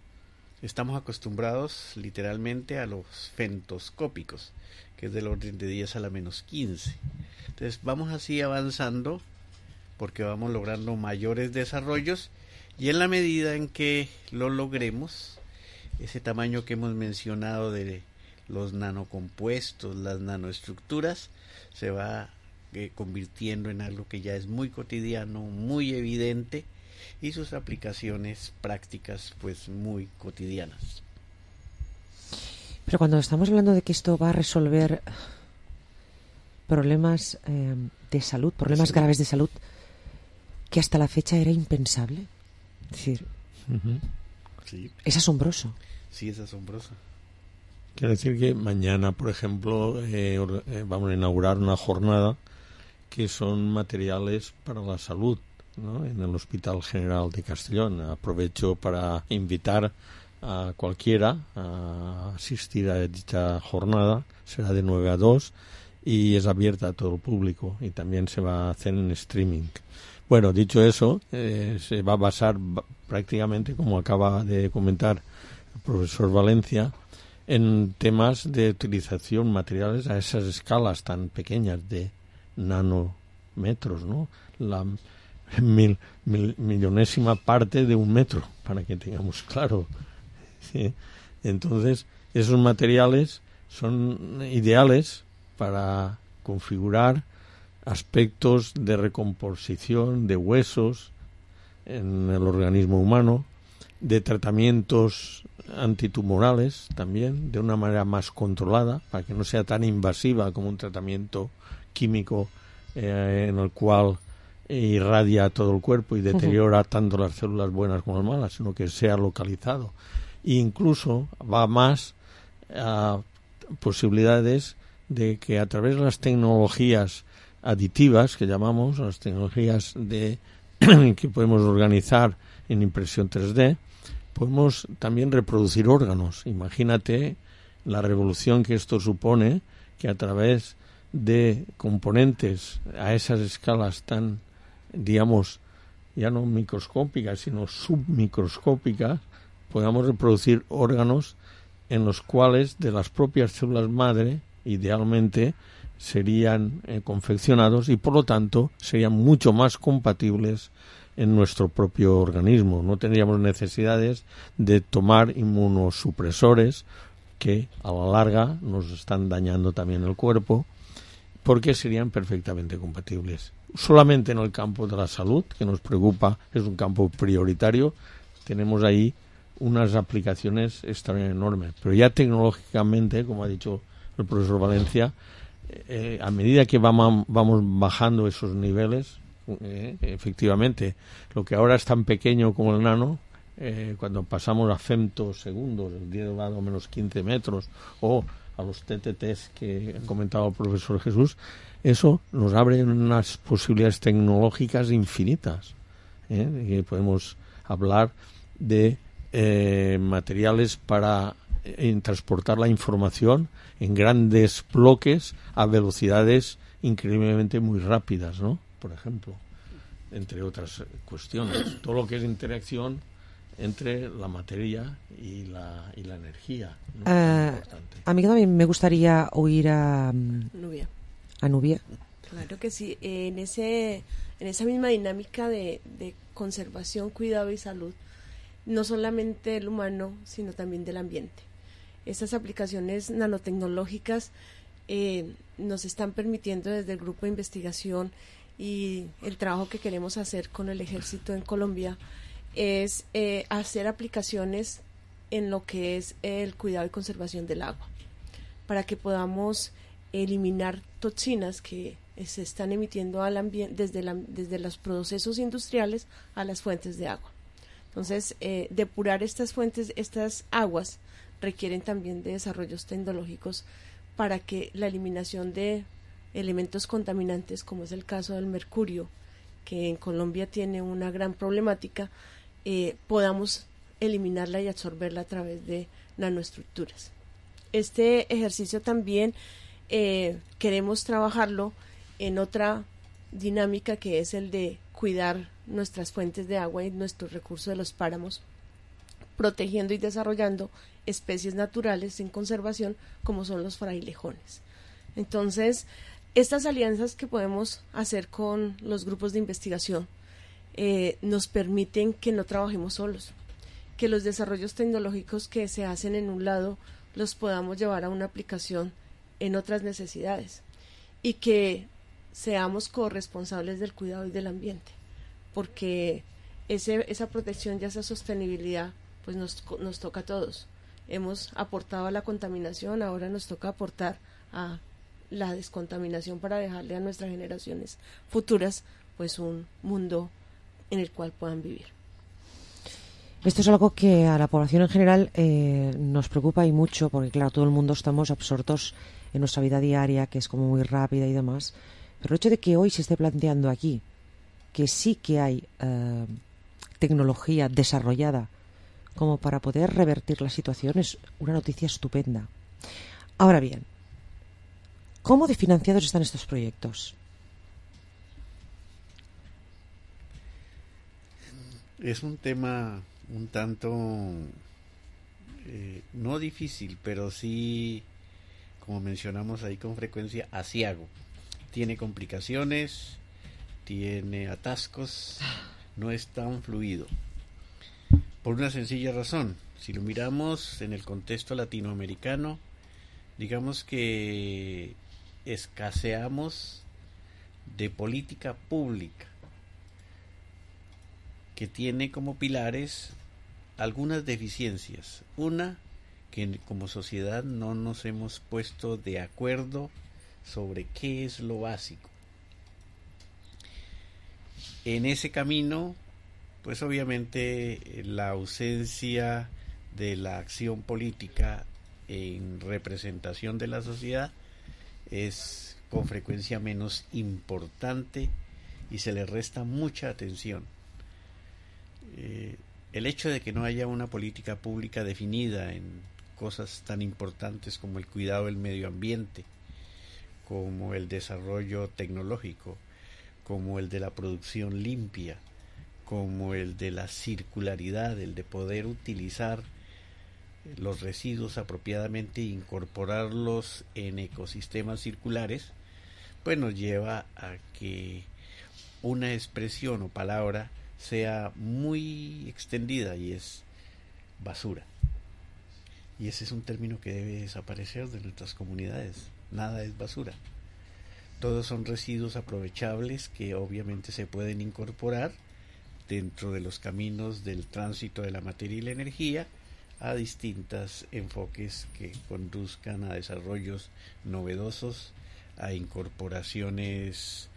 Estamos acostumbrados literalmente a los femtoscópicos, que es del orden de 10 a la menos 15. Entonces vamos así avanzando porque vamos logrando mayores desarrollos, y en la medida en que lo logremos, ese tamaño que hemos mencionado de los nanocompuestos, las nanoestructuras, se va convirtiendo en algo que ya es muy cotidiano, muy evidente, y sus aplicaciones prácticas pues muy cotidianas. Pero cuando estamos hablando de que esto va a resolver problemas de salud, problemas graves de salud, que hasta la fecha era impensable, es decir, sí. Es asombroso. Sí, es asombroso. Quiere decir que mañana, por ejemplo, vamos a inaugurar una jornada que son materiales para la salud, ¿no?, en el Hospital General de Castellón. Aprovecho para invitar a cualquiera a asistir a dicha jornada. Será de 9 a 2 y es abierta a todo el público, y también se va a hacer en streaming. Bueno, dicho eso, se va a basar prácticamente, como acaba de comentar el profesor Valencia, en temas de utilización materiales a esas escalas tan pequeñas de nanómetros, ¿no? La millonésima parte de un metro, para que tengamos claro. ¿Sí? Entonces, esos materiales son ideales para configurar aspectos de recomposición de huesos en el organismo humano, de tratamientos antitumorales también, de una manera más controlada, para que no sea tan invasiva como un tratamiento químico en el cual irradia a todo el cuerpo y deteriora tanto las células buenas como las malas, sino que sea localizado. E incluso va más a posibilidades de que a través de las tecnologías aditivas, que llamamos, las tecnologías que podemos organizar en impresión 3D, podemos también reproducir órganos. Imagínate la revolución que esto supone, que a través de componentes a esas escalas tan, digamos, ya no microscópicas, sino submicroscópicas, podamos reproducir órganos en los cuales de las propias células madre, idealmente, serían confeccionados y por lo tanto serían mucho más compatibles en nuestro propio organismo. No tendríamos necesidades de tomar inmunosupresores que a la larga nos están dañando también el cuerpo, porque serían perfectamente compatibles. Solamente en el campo de la salud, que nos preocupa, es un campo prioritario, tenemos ahí unas aplicaciones extraordinariamente enormes. Pero ya tecnológicamente, como ha dicho el profesor Valencia, a medida que vamos bajando esos niveles, efectivamente, lo que ahora es tan pequeño como el nano, cuando pasamos a femtosegundos, el 10 elevado a menos 15 metros, o a los TTTs que ha comentado el profesor Jesús, eso nos abre unas posibilidades tecnológicas infinitas. Y podemos hablar de materiales para transportar la información en grandes bloques a velocidades increíblemente muy rápidas, ¿no? Por ejemplo, entre otras cuestiones. Todo lo que es interacción entre la materia y la energía, ¿no? A mí también me gustaría oír a Nubia. Claro que sí. En esa misma dinámica de conservación, cuidado y salud, no solamente del humano, sino también del ambiente. Estas aplicaciones nanotecnológicas nos están permitiendo desde el grupo de investigación y el trabajo que queremos hacer con el ejército en Colombia es hacer aplicaciones en lo que es el cuidado y conservación del agua, para que podamos eliminar toxinas que se están emitiendo al ambiente desde los procesos industriales a las fuentes de agua. Entonces, depurar estas fuentes, estas aguas, requieren también de desarrollos tecnológicos para que la eliminación de elementos contaminantes, como es el caso del mercurio, que en Colombia tiene una gran problemática, podamos eliminarla y absorberla a través de nanoestructuras. Este ejercicio también queremos trabajarlo en otra dinámica, que es el de cuidar nuestras fuentes de agua y nuestros recursos de los páramos, protegiendo y desarrollando especies naturales en conservación como son los frailejones. Entonces, estas alianzas que podemos hacer con los grupos de investigación nos permiten que no trabajemos solos, que los desarrollos tecnológicos que se hacen en un lado los podamos llevar a una aplicación en otras necesidades y que seamos corresponsables del cuidado y del ambiente, porque esa protección y esa sostenibilidad pues nos toca a todos. Hemos aportado a la contaminación, ahora nos toca aportar a la descontaminación para dejarle a nuestras generaciones futuras pues un mundo en el cual puedan vivir. Esto es algo que a la población en general nos preocupa y mucho, porque claro, todo el mundo estamos absortos en nuestra vida diaria, que es como muy rápida y demás, pero el hecho de que hoy se esté planteando aquí que sí que hay tecnología desarrollada como para poder revertir la situación es una noticia estupenda. Ahora bien, ¿cómo de financiados están estos proyectos? Es un tema un tanto no difícil, pero sí, como mencionamos ahí con frecuencia, aciago. Tiene complicaciones, tiene atascos, no es tan fluido. Por una sencilla razón, si lo miramos en el contexto latinoamericano, digamos que escaseamos de política pública que tiene como pilares algunas deficiencias. Una, que como sociedad no nos hemos puesto de acuerdo sobre qué es lo básico. En ese camino, pues obviamente la ausencia de la acción política en representación de la sociedad es con frecuencia menos importante y se le resta mucha atención. El hecho de que no haya una política pública definida en cosas tan importantes como el cuidado del medio ambiente, como el desarrollo tecnológico, como el de la producción limpia, como el de la circularidad, el de poder utilizar los residuos apropiadamente e incorporarlos en ecosistemas circulares, pues nos lleva a que una expresión o palabra sea muy extendida, y es basura. Y ese es un término que debe desaparecer de nuestras comunidades. Nada es basura. Todos son residuos aprovechables que obviamente se pueden incorporar dentro de los caminos del tránsito de la materia y la energía a distintos enfoques que conduzcan a desarrollos novedosos, a incorporaciones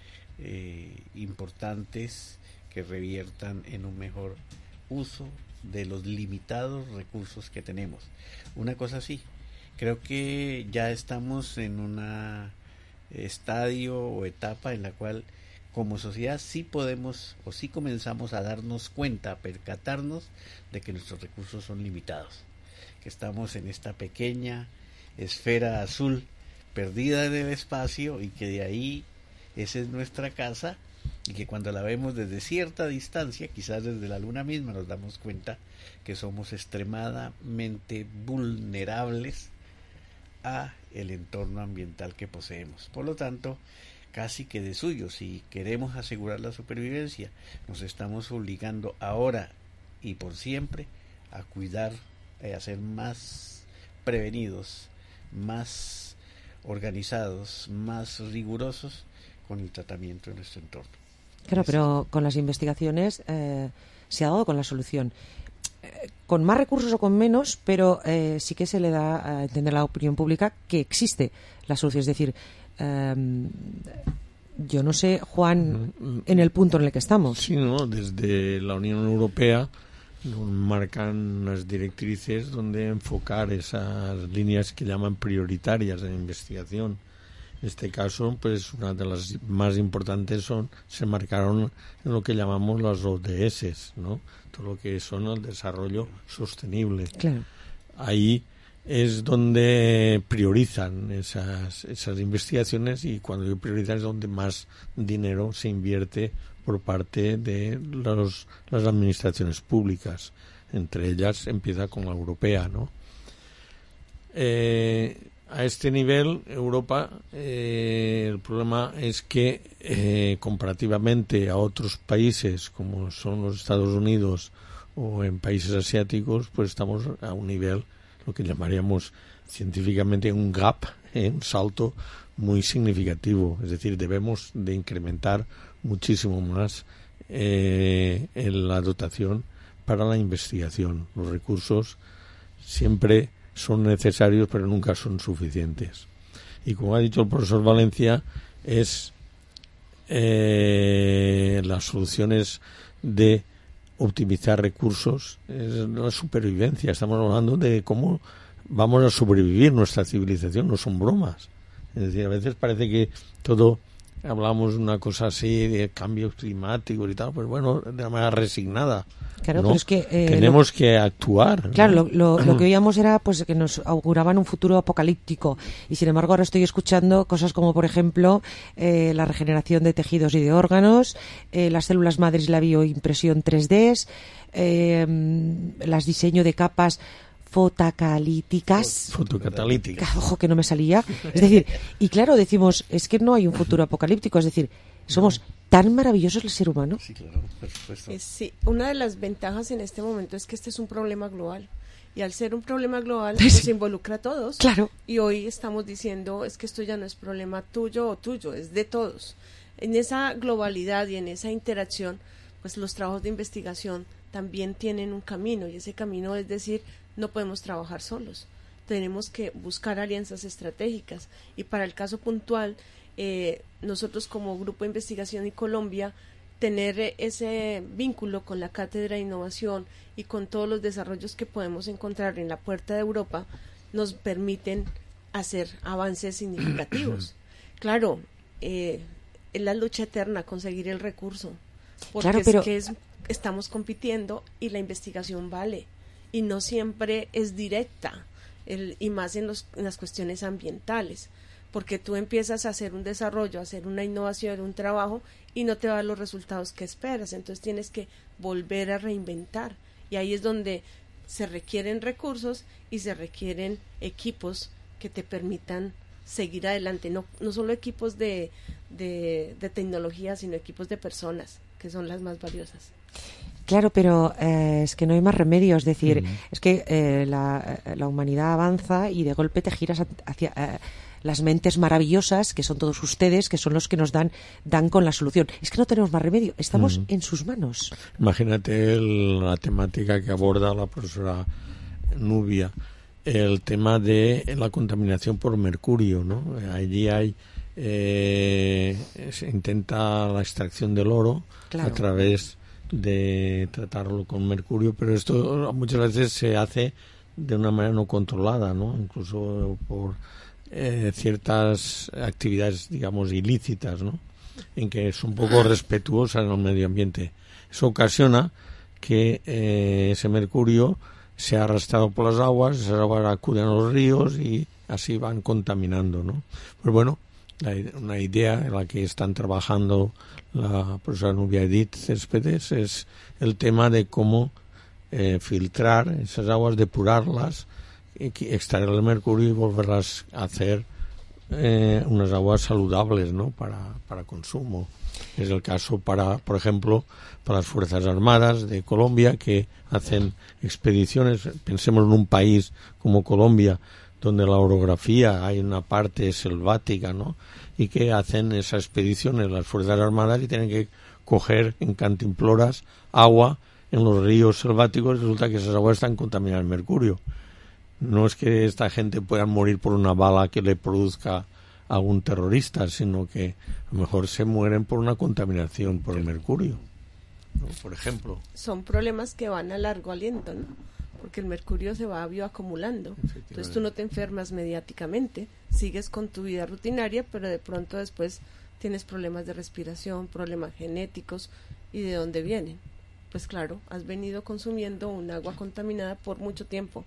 importantes que reviertan en un mejor uso de los limitados recursos que tenemos. Una cosa así, creo que ya estamos en una estadio o etapa en la cual como sociedad sí podemos o sí comenzamos a darnos cuenta, a percatarnos de que nuestros recursos son limitados, que estamos en esta pequeña esfera azul perdida en el espacio y que de ahí esa es nuestra casa, y que cuando la vemos desde cierta distancia, quizás desde la luna misma, nos damos cuenta que somos extremadamente vulnerables a el entorno ambiental que poseemos. Por lo tanto, casi que de suyo, si queremos asegurar la supervivencia, nos estamos obligando ahora y por siempre a cuidar, a ser más prevenidos, más organizados, más rigurosos con el tratamiento de nuestro entorno. Claro, pero con las investigaciones se ha dado con la solución. Con más recursos o con menos, pero sí que se le da a entender a la opinión pública que existe la solución. Es decir, yo no sé, Juan, en el punto en el que estamos. Sí, ¿no? Desde la Unión Europea nos marcan unas directrices donde enfocar esas líneas que llaman prioritarias de investigación. En este caso, pues una de las más importantes se marcaron en lo que llamamos las ODS, ¿no? Todo lo que son el desarrollo sostenible. Claro. Ahí es donde priorizan esas investigaciones, y cuando yo priorizan es donde más dinero se invierte por parte de las administraciones públicas. Entre ellas empieza con la europea, ¿no? A este nivel, Europa, el problema es que comparativamente a otros países como son los Estados Unidos o en países asiáticos, pues estamos a un nivel, lo que llamaríamos científicamente un gap, un salto muy significativo. Es decir, debemos de incrementar muchísimo más en la dotación para la investigación. Los recursos siempre son necesarios, pero nunca son suficientes. Y como ha dicho el profesor Valencia, es las soluciones de optimizar recursos, es la supervivencia. Estamos hablando de cómo vamos a sobrevivir nuestra civilización, no son bromas. Es decir, a veces parece que todo, hablamos de una cosa así, de cambios climáticos y tal, pues bueno, de una manera resignada. Claro, ¿no? pero es que tenemos que actuar. Claro, lo que oíamos era pues que nos auguraban un futuro apocalíptico, y sin embargo ahora estoy escuchando cosas como, por ejemplo, la regeneración de tejidos y de órganos, las células madres y la bioimpresión 3D, las diseño de capas fotocatalíticas. Ojo, que no me salía. Es decir, y claro, decimos, es que no hay un futuro apocalíptico, es decir, somos tan maravillosos el ser humano. Sí, claro, por supuesto. Sí, una de las ventajas en este momento es que este es un problema global. Y al ser un problema global, nos involucra a todos. Claro. Y hoy estamos diciendo, es que esto ya no es problema tuyo o tuyo, es de todos. En esa globalidad y en esa interacción, pues los trabajos de investigación también tienen un camino, y ese camino es decir, no podemos trabajar solos. Tenemos que buscar alianzas estratégicas. Y para el caso puntual, nosotros como Grupo de Investigación y Colombia, tener ese vínculo con la Cátedra de Innovación y con todos los desarrollos que podemos encontrar en la puerta de Europa, nos permiten hacer avances significativos. Claro, es la lucha eterna conseguir el recurso, porque claro, pero... es que estamos compitiendo y la investigación vale, y no siempre es directa, y más en las cuestiones ambientales. porque tú empiezas a hacer un desarrollo, a hacer una innovación, un trabajo, y no te dan los resultados que esperas. Entonces tienes que volver a reinventar, y ahí es donde se requieren recursos y se requieren equipos que te permitan seguir adelante, no solo equipos de tecnología, sino equipos de personas, que son las más valiosas. Claro, pero es que no hay más remedio, es decir, es que la humanidad avanza y de golpe te giras hacia las mentes maravillosas, que son todos ustedes, que son los que nos dan con la solución. Es que no tenemos más remedio, estamos en sus manos. Imagínate la temática que aborda la profesora Nubia, el tema de la contaminación por mercurio, ¿no? Allí se intenta la extracción del oro a través de tratarlo con mercurio, pero esto muchas veces se hace de una manera no controlada, ¿no? Incluso por ciertas actividades, digamos, ilícitas, ¿no? En que son poco respetuosas en el medio ambiente. Eso ocasiona que ese mercurio sea arrastrado por las aguas, esas aguas acuden a los ríos y así van contaminando, ¿no? Pues bueno, una idea en la que están trabajando la profesora Nubia Edith Céspedes es el tema de cómo filtrar esas aguas, depurarlas, extraer el mercurio y volverlas a hacer unas aguas saludables, ¿no? para consumo. Es el caso por ejemplo, para las Fuerzas Armadas de Colombia, que hacen expediciones. Pensemos en un país como Colombia, donde la orografía hay una parte selvática, ¿no? Y que hacen esas expediciones las Fuerzas Armadas y tienen que coger en cantimploras agua en los ríos selváticos, y resulta que esas aguas están contaminadas de mercurio. No es que esta gente pueda morir por una bala que le produzca algún terrorista, sino que a lo mejor se mueren por una contaminación por el mercurio, ¿no? Por ejemplo. Son problemas que van a largo aliento, ¿no? Porque el mercurio se va bioacumulando. Entonces tú no te enfermas mediáticamente, sigues con tu vida rutinaria, pero de pronto después tienes problemas de respiración, problemas genéticos. ¿Y de dónde vienen? Pues claro, has venido consumiendo un agua contaminada por mucho tiempo,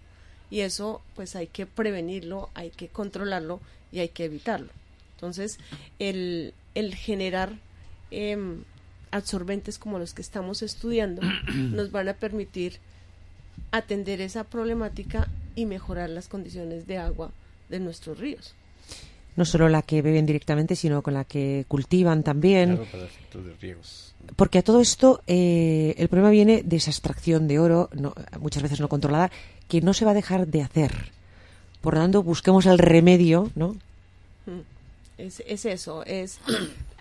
y eso pues hay que prevenirlo, hay que controlarlo y hay que evitarlo. Entonces el generar absorbentes como los que estamos estudiando nos van a permitir atender esa problemática y mejorar las condiciones de agua de nuestros ríos. No solo la que beben directamente, sino con la que cultivan también. Claro, para efectos de riegos. Porque a todo esto el problema viene de esa extracción de oro, muchas veces no controlada, que no se va a dejar de hacer. Por lo tanto, busquemos el remedio, ¿no? Es eso,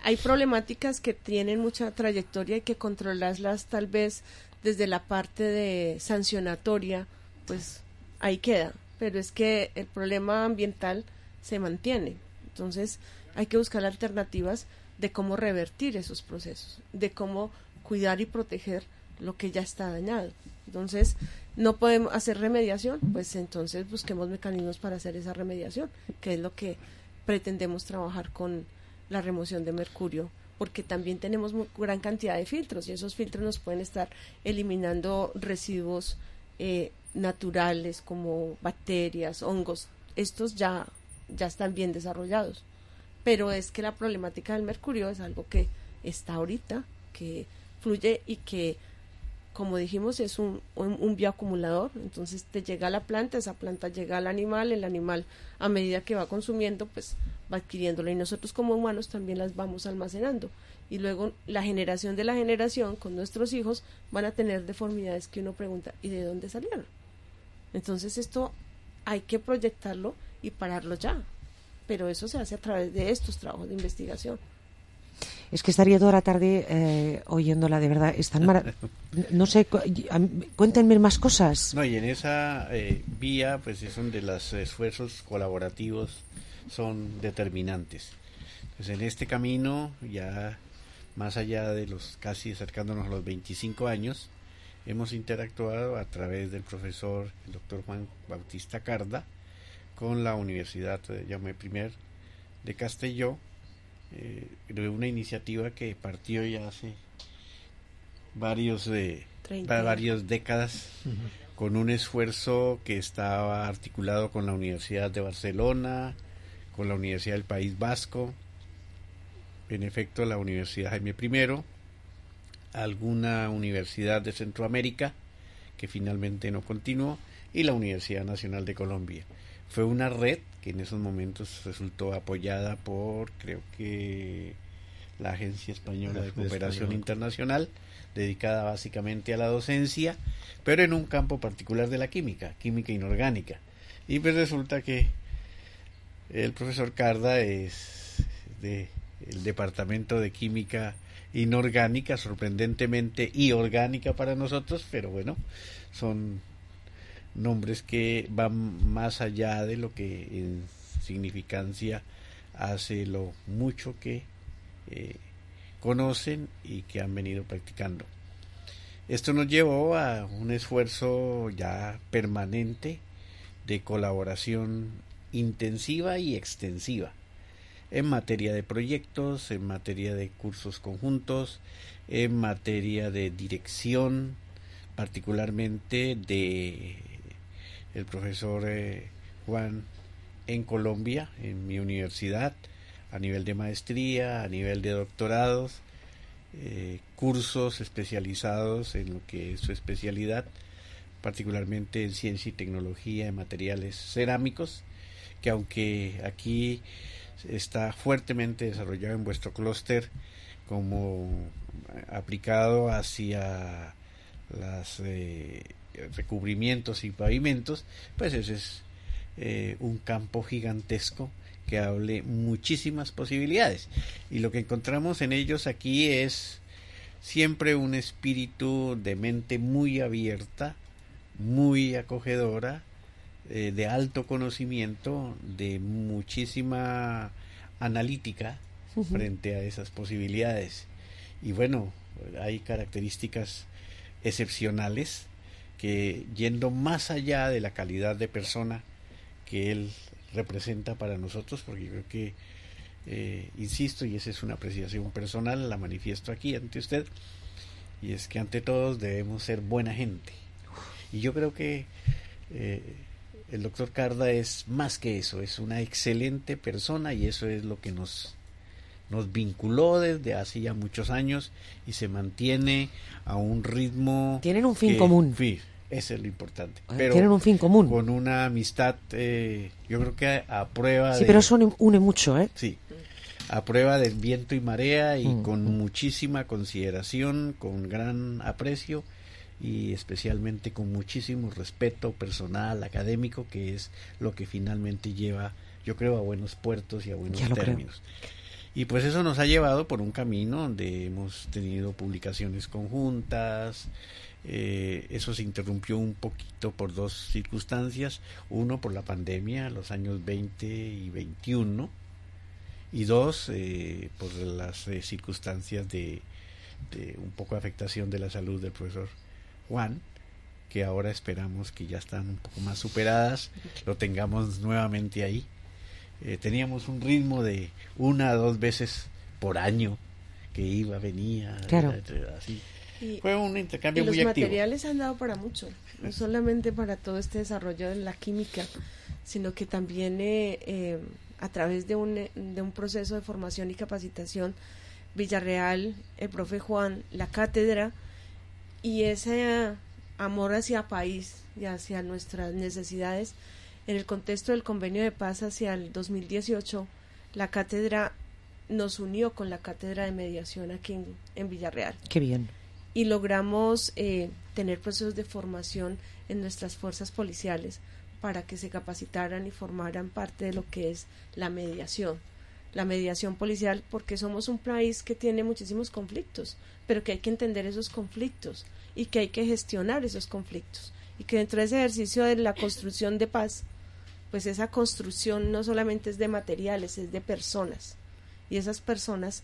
hay problemáticas que tienen mucha trayectoria y que controlarlas tal vez desde la parte de sancionatoria, pues ahí queda, pero es que el problema ambiental se mantiene. Entonces hay que buscar alternativas de cómo revertir esos procesos, de cómo cuidar y proteger lo que ya está dañado. Entonces no podemos hacer remediación, pues entonces busquemos mecanismos para hacer esa remediación, que es lo que pretendemos trabajar con la remoción de mercurio, porque también tenemos gran cantidad de filtros, y esos filtros nos pueden estar eliminando residuos naturales como bacterias, hongos. Estos ya están bien desarrollados, pero es que la problemática del mercurio es algo que está ahorita, que fluye y que, como dijimos, es un bioacumulador. Entonces te llega a la planta, esa planta llega al animal, el animal a medida que va consumiendo pues va adquiriéndolo, y nosotros como humanos también las vamos almacenando, y luego la generación de la generación con nuestros hijos van a tener deformidades que uno pregunta, ¿y de dónde salieron? Entonces esto hay que proyectarlo y pararlo ya, pero eso se hace a través de estos trabajos de investigación. Es que estaría toda la tarde oyéndola, de verdad. No sé, cuéntenme más cosas. No, y en esa vía, pues es donde los esfuerzos colaborativos son determinantes. Pues en este camino, ya más allá de los casi acercándonos a los 25 años, hemos interactuado a través del profesor, el doctor Juan Bautista Carda, con la Universidad Jaume I de Castelló, de una iniciativa que partió ya hace varias décadas, con un esfuerzo que estaba articulado con la Universidad de Barcelona, con la Universidad del País Vasco, en efecto la Universidad Jaime I, alguna universidad de Centroamérica que finalmente no continuó, y la Universidad Nacional de Colombia. Fue una red que en esos momentos resultó apoyada por, creo que, la Agencia Española de Cooperación Internacional, dedicada básicamente a la docencia, pero en un campo particular de la química inorgánica. Y pues resulta que el profesor Carda es del Departamento de Química Inorgánica, sorprendentemente y orgánica para nosotros, pero bueno, son nombres que van más allá de lo que en significancia hace lo mucho que conocen y que han venido practicando. Esto nos llevó a un esfuerzo ya permanente de colaboración intensiva y extensiva en materia de proyectos, en materia de cursos conjuntos, en materia de dirección, particularmente de el profesor Juan en Colombia, en mi universidad, a nivel de maestría, a nivel de doctorados, cursos especializados en lo que es su especialidad, particularmente en ciencia y tecnología en materiales cerámicos, que aunque aquí está fuertemente desarrollado en vuestro clúster como aplicado hacia los recubrimientos y pavimentos, pues ese es un campo gigantesco que hable muchísimas posibilidades, y lo que encontramos en ellos aquí es siempre un espíritu de mente muy abierta, muy acogedora, de alto conocimiento, de muchísima analítica frente a esas posibilidades. Y bueno, hay características excepcionales que, yendo más allá de la calidad de persona que él representa para nosotros, porque yo creo que insisto, y esa es una apreciación personal, la manifiesto aquí ante usted, y es que ante todos debemos ser buena gente, y yo creo que el doctor Carda es más que eso, es una excelente persona, y eso es lo que nos vinculó desde hace ya muchos años y se mantiene a un ritmo. Tienen un fin común. Sí, eso es lo importante. Pero tienen un fin común. Con una amistad, yo creo que a prueba Sí, pero eso une mucho, ¿eh? Sí, a prueba del viento y marea, y con muchísima consideración, con gran aprecio y especialmente con muchísimo respeto personal, académico, que es lo que finalmente lleva, yo creo, a buenos puertos y a buenos términos. Y pues eso nos ha llevado por un camino donde hemos tenido publicaciones conjuntas. Eso se interrumpió un poquito por dos circunstancias: uno, por la pandemia, los años 20 y 21, y dos, por las circunstancias de un poco de afectación de la salud del profesor Juan, que ahora esperamos que ya están un poco más superadas, lo tengamos nuevamente ahí. Teníamos un ritmo de 1 a 2 veces por año que iba, venía, claro. Así. Fue un intercambio muy activo. Los materiales han dado para mucho, no solamente para todo este desarrollo de la química, sino que también a través de un proceso de formación y capacitación, Villarreal, el profe Juan, la cátedra, y ese amor hacia país y hacia nuestras necesidades. En el contexto del convenio de paz hacia el 2018, la cátedra nos unió con la cátedra de mediación aquí en Villarreal. Qué bien. Y logramos tener procesos de formación en nuestras fuerzas policiales para que se capacitaran y formaran parte de lo que es la mediación policial, porque somos un país que tiene muchísimos conflictos, pero que hay que entender esos conflictos y que hay que gestionar esos conflictos, y que dentro de ese ejercicio de la construcción de paz, pues esa construcción no solamente es de materiales, es de personas, y esas personas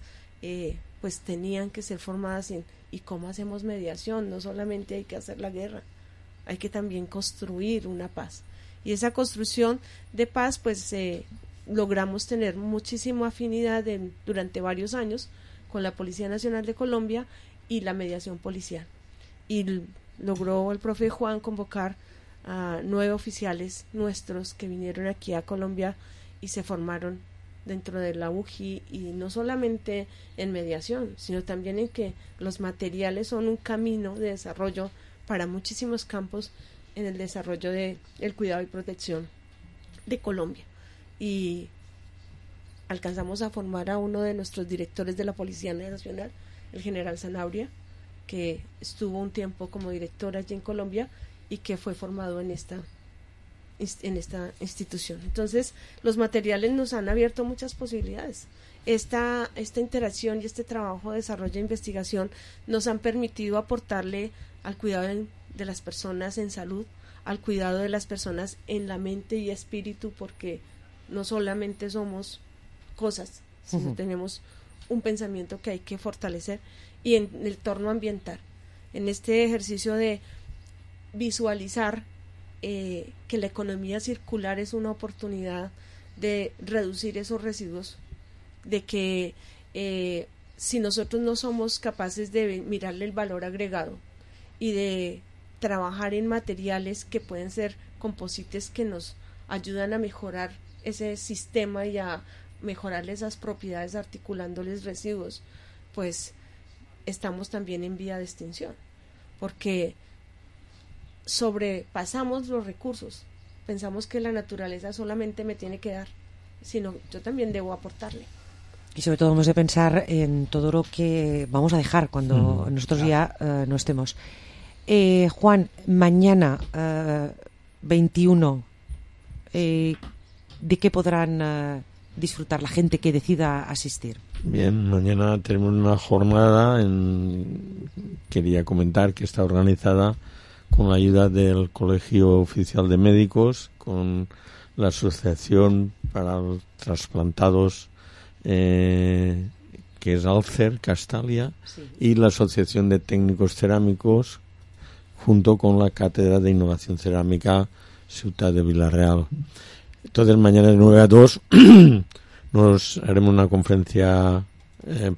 pues tenían que ser formadas en ¿y cómo hacemos mediación? No solamente hay que hacer la guerra, hay que también construir una paz, y esa construcción de paz pues logramos tener muchísima afinidad durante varios años con la Policía Nacional de Colombia y la mediación policial, y logró el profe Juan convocar a 9 oficiales nuestros que vinieron aquí a Colombia y se formaron dentro de la UJI, y no solamente en mediación, sino también en que los materiales son un camino de desarrollo para muchísimos campos en el desarrollo del cuidado y protección de Colombia. Y alcanzamos a formar a uno de nuestros directores de la Policía Nacional, el general Zanabria, que estuvo un tiempo como director allí en Colombia y que fue formado en esta institución. Entonces, los materiales nos han abierto muchas posibilidades. Esta interacción y este trabajo de desarrollo e investigación nos han permitido aportarle al cuidado de las personas en salud, al cuidado de las personas en la mente y espíritu, porque no solamente somos cosas, sino tenemos un pensamiento que hay que fortalecer, y en el entorno ambiental, en este ejercicio de visualizar que la economía circular es una oportunidad de reducir esos residuos, de que si nosotros no somos capaces de mirarle el valor agregado y de trabajar en materiales que pueden ser composites que nos ayudan a mejorar ese sistema y a mejorarle esas propiedades articulándoles residuos, pues estamos también en vía de extinción, porque sobrepasamos los recursos, pensamos que la naturaleza solamente me tiene que dar, sino yo también debo aportarle. Y sobre todo hemos de pensar en todo lo que vamos a dejar cuando nosotros ya no estemos. Juan, mañana 21, ¿de qué podrán disfrutar la gente que decida asistir? Bien, mañana tenemos una jornada, quería comentar que está organizada con la ayuda del Colegio Oficial de Médicos, con la Asociación para los Trasplantados, que es Alcer, Castalia, sí, y la Asociación de Técnicos Cerámicos, junto con la Cátedra de Innovación Cerámica Ciutat de Vila-real. Entonces, mañana de 9 a 2 nos haremos una conferencia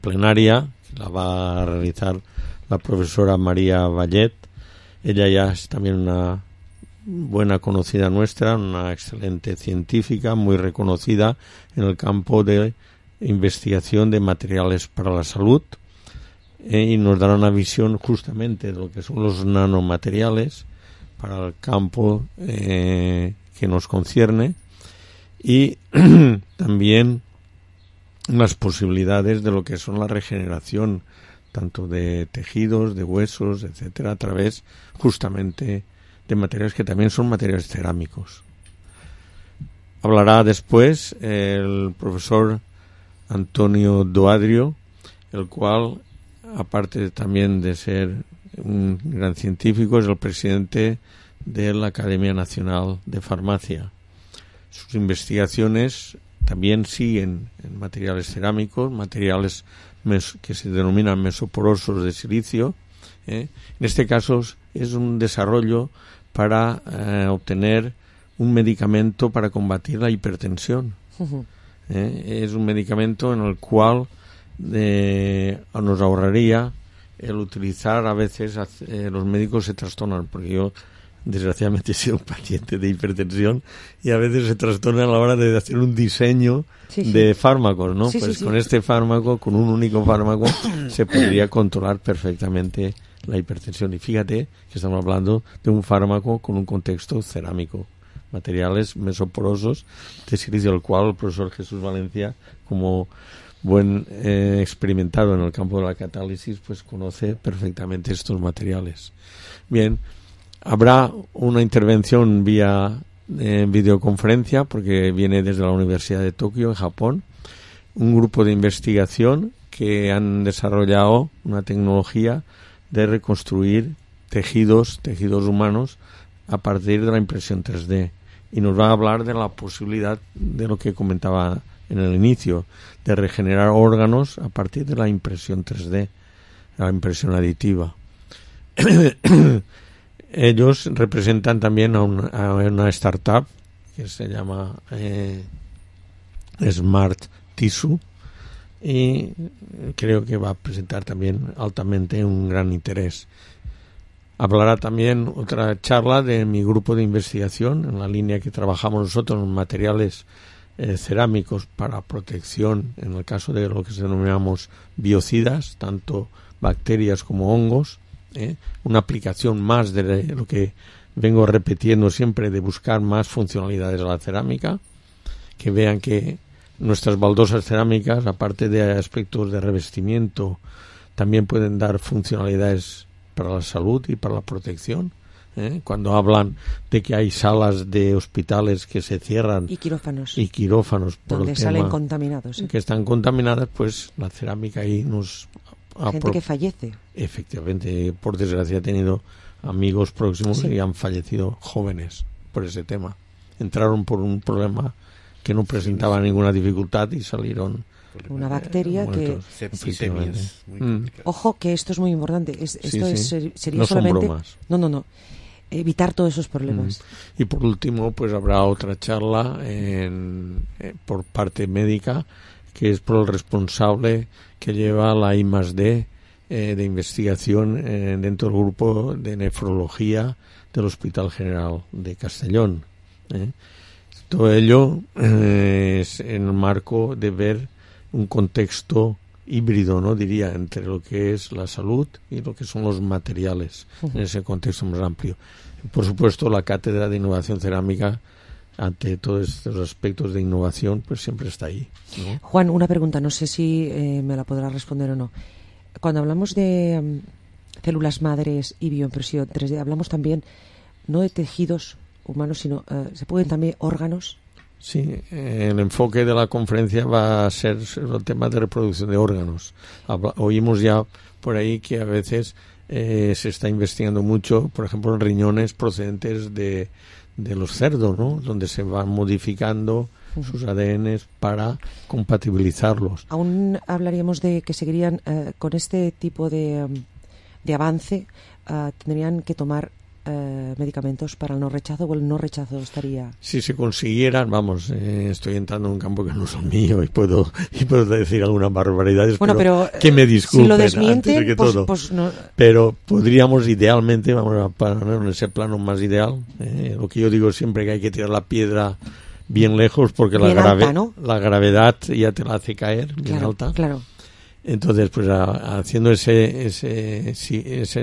plenaria, que la va a realizar la profesora María Vallet. Ella ya es también una buena conocida nuestra, una excelente científica, muy reconocida en el campo de investigación de materiales para la salud, y nos dará una visión justamente de lo que son los nanomateriales para el campo que nos concierne, y también las posibilidades de lo que son la regeneración tanto de tejidos, de huesos, etcétera, a través justamente de materiales que también son materiales cerámicos. Hablará después el profesor Antonio Doadrio, el cual, aparte también de ser un gran científico, es el presidente de la Academia Nacional de Farmacia. Sus investigaciones también siguen en materiales cerámicos, materiales que se denominan mesoporosos de silicio. En este caso es un desarrollo para obtener un medicamento para combatir la hipertensión. Es un medicamento en el cual nos ahorraría el utilizar, a veces los médicos se trastornan, porque yo desgraciadamente he sido un paciente de hipertensión y a veces se trastorna a la hora de hacer un diseño de fármacos, ¿no? Con este fármaco, con un único fármaco, se podría controlar perfectamente la hipertensión. Y fíjate que estamos hablando de un fármaco con un contexto cerámico, materiales mesoporosos de silicio, el cual el profesor Jesús Valencia, como buen experimentado en el campo de la catálisis, pues conoce perfectamente estos materiales. Bien, habrá una intervención vía videoconferencia, porque viene desde la Universidad de Tokio, en Japón, un grupo de investigación que han desarrollado una tecnología de reconstruir tejidos humanos a partir de la impresión 3D. Y nos va a hablar de la posibilidad de lo que comentaba en el inicio, de regenerar órganos a partir de la impresión 3D, la impresión aditiva. Ellos representan también a una startup que se llama Smart Tissue, y creo que va a presentar también altamente un gran interés. Hablará también otra charla de mi grupo de investigación, en la línea que trabajamos nosotros, en materiales cerámicos para protección, en el caso de lo que denominamos biocidas, tanto bacterias como hongos, una aplicación más de lo que vengo repitiendo siempre, de buscar más funcionalidades a la cerámica, que vean que nuestras baldosas cerámicas, aparte de aspectos de revestimiento, también pueden dar funcionalidades para la salud y para la protección. Cuando hablan de que hay salas de hospitales que se cierran y quirófanos por donde el salen tema contaminados, que están contaminadas, pues la cerámica ahí nos gente que fallece. Efectivamente, por desgracia he tenido amigos próximos Sí. y han fallecido jóvenes por ese tema. Entraron por un problema que no presentaba ninguna dificultad y salieron Una bacteria que... muertos, efectivamente. Ojo, que esto es muy importante. Esto sería no son solamente... bromas. No. Evitar todos esos problemas. Y por último, pues habrá otra charla por parte médica, que es por el responsable que lleva la I+D de investigación dentro del grupo de nefrología del Hospital General de Castellón. Todo ello es en el marco de ver un contexto híbrido, ¿no? Diría, entre lo que es la salud y lo que son los materiales, en ese contexto más amplio. Por supuesto, la Cátedra de Innovación Cerámica, ante todos estos aspectos de innovación, pues siempre está ahí, ¿no? Juan, una pregunta, no sé si me la podrás responder o no. Cuando hablamos de células madres y bioimpresión 3D, hablamos también no de tejidos humanos, sino se pueden también órganos. Sí, el enfoque de la conferencia va a ser el tema de reproducción de órganos. Oímos ya por ahí que a veces se está investigando mucho, por ejemplo, en riñones procedentes de los cerdos, ¿no? Donde se van modificando sus ADNs para compatibilizarlos. Aún hablaríamos de que seguirían con este tipo de avance, tendrían que tomar medicamentos para el no rechazo, o el no rechazo estaría... Si se consiguieran, vamos, estoy entrando en un campo que no es el mío y puedo decir algunas barbaridades, bueno, pero que me disculpen si lo desmienten, antes de que todo. Pues no... Pero podríamos idealmente, vamos a poner en ese plano más ideal, lo que yo digo siempre, que hay que tirar la piedra bien lejos, porque bien alta, ¿no? la gravedad ya te la hace caer bien alta. Claro. Entonces, pues haciendo esa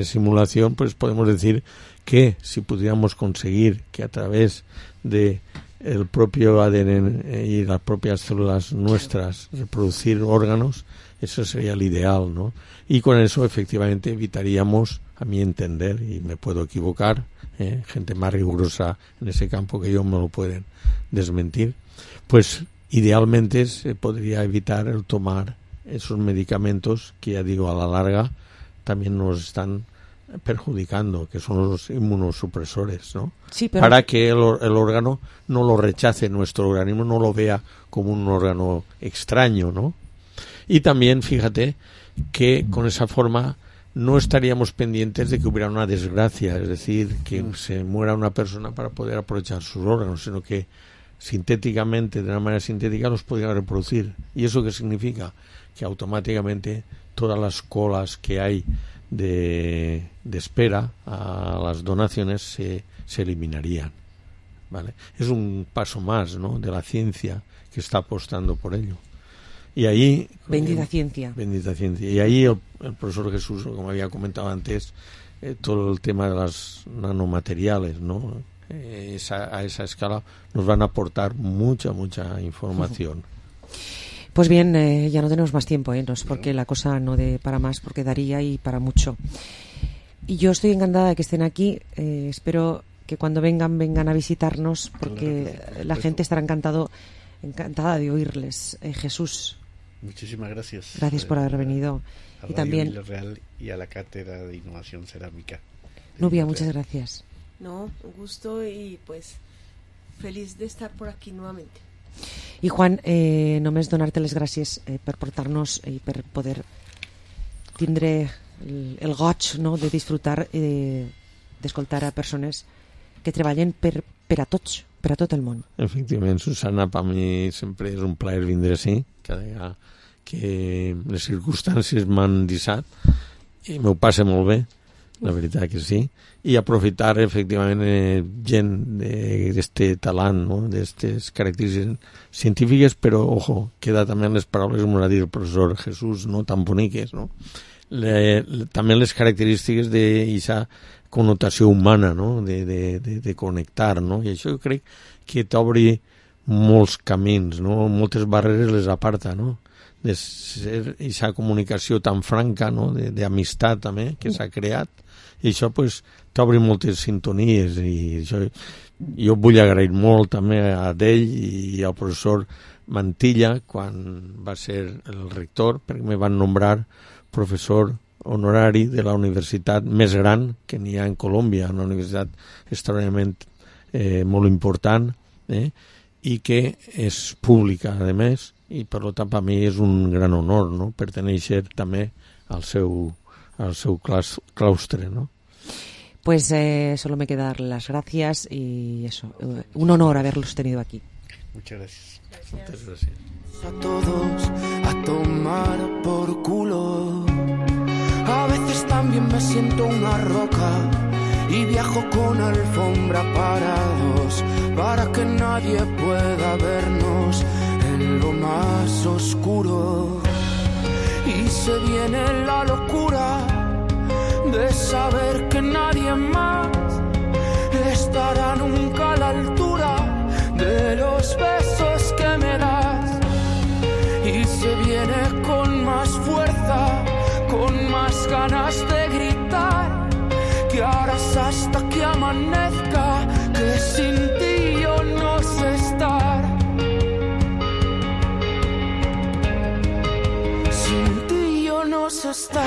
simulación, pues podemos decir que si pudiéramos conseguir que a través de el propio ADN y las propias células nuestras reproducir órganos, eso sería el ideal, ¿no? Y con eso efectivamente evitaríamos, a mi entender, y me puedo equivocar, gente más rigurosa en ese campo que yo me lo pueden desmentir, pues idealmente se podría evitar el tomar esos medicamentos que, ya digo, a la larga también nos están perjudicando, que son los inmunosupresores, ¿no? Sí, pero... Para que el órgano no lo rechace, nuestro organismo no lo vea como un órgano extraño, ¿no? Y también, fíjate, que con esa forma no estaríamos pendientes de que hubiera una desgracia, es decir, que se muera una persona para poder aprovechar sus órganos, sino que sintéticamente, de una manera sintética, los podría reproducir. ¿Y eso qué significa? Que automáticamente todas las colas que hay de espera a las donaciones se eliminarían, ¿vale? Es un paso más, ¿no?, de la ciencia que está apostando por ello. Y ahí... Bendita ciencia. Bendita ciencia. Y ahí el profesor Jesús, como había comentado antes, todo el tema de los nanomateriales, ¿no? A esa escala nos van a aportar mucha información. Pues bien, ya no tenemos más tiempo, no es porque la cosa no dé para más, porque daría y para mucho. Y yo estoy encantada de que estén aquí. Espero que cuando vengan a visitarnos, porque la gente estará encantada de oírles. Jesús. Muchísimas gracias. Gracias por haber venido. A y también Villarreal y a la Cátedra de Innovación Cerámica. Nubia, muchas gracias. No, un gusto y pues feliz de estar por aquí nuevamente. I Juan, només donar-te les gràcies per portar-nos i per poder tindre el goig, no?, de disfrutar d'escoltar a persones que treballen per a tots, per a tot el món. Efectivament, Susana, per mi sempre és un plaer vindre així, cada vegada que les circumstàncies m'han deixat i m'ho passa molt bé. la veritat que sí, i aprofitar efectivament gent d'este talant, no? D'estes característiques científiques, però, ojo, queda també en les paraules, com va dir el professor Jesús, no tan boniques, no? També les característiques d'aquesta connotació humana, no? De connectar, no? I això jo crec que t'obri molts camins, no? Moltes barreres les aparta, no? De ser aquesta comunicació tan franca, no? D'amistat també que s'ha creat, i això pues t'obre moltes sintonies, i això jo vull agrair molt també a ell i al professor Mantilla quan va ser el rector, perquè me van nombrar professor honorari de la universitat més gran que n'hi ha en Colòmbia, una universitat extraordinàriament molt important, i que és pública, a més, i per tant per mi és un gran honor, no?, pertenèixer també al seu claustre, ¿no? Pues solo me queda dar las gracias y eso, un honor haberlos tenido aquí. Muchas gracias. Muchas gracias. A todos a tomar por culo. A veces también me siento una roca y viajo con alfombra para dos, para que nadie pueda vernos en lo más oscuro. Y se viene la locura de saber que nadie más estará nunca a la altura de los besos que me das. Y se viene con más fuerza, con más ganas de gritar, que harás hasta que amanezca, que sin ti yo no sé estar. Sin ti yo no sé estar.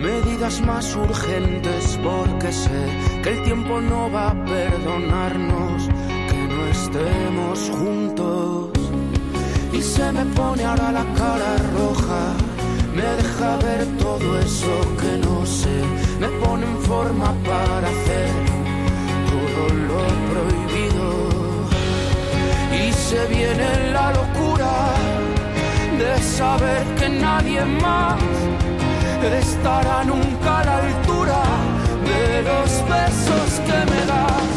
Medidas más urgentes porque sé que el tiempo no va a perdonarnos que no estemos juntos. Y se me pone ahora la cara roja, me deja ver todo eso que no sé, me pone en forma para hacer todo lo prohibido. Y se viene la locura de saber que nadie más estará nunca a la altura de los besos que me das.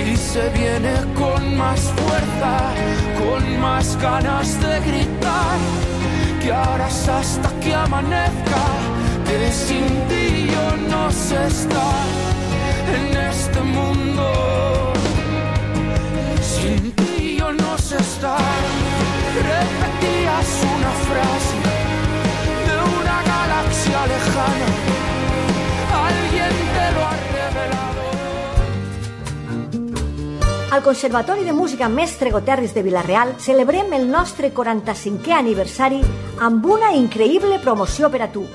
Y se viene con más fuerza, con más ganas de gritar, que harás hasta que amanezca, que sin ti yo no sé estar en este mundo. Sin ti yo no sé estar. Repetías una frase de una galaxia lejana, alguien te lo ha revelado. Al Conservatori de Música Mestre Goterris de Vila-real celebrem el nostre 45è aniversari amb una increïble promoció per a tu.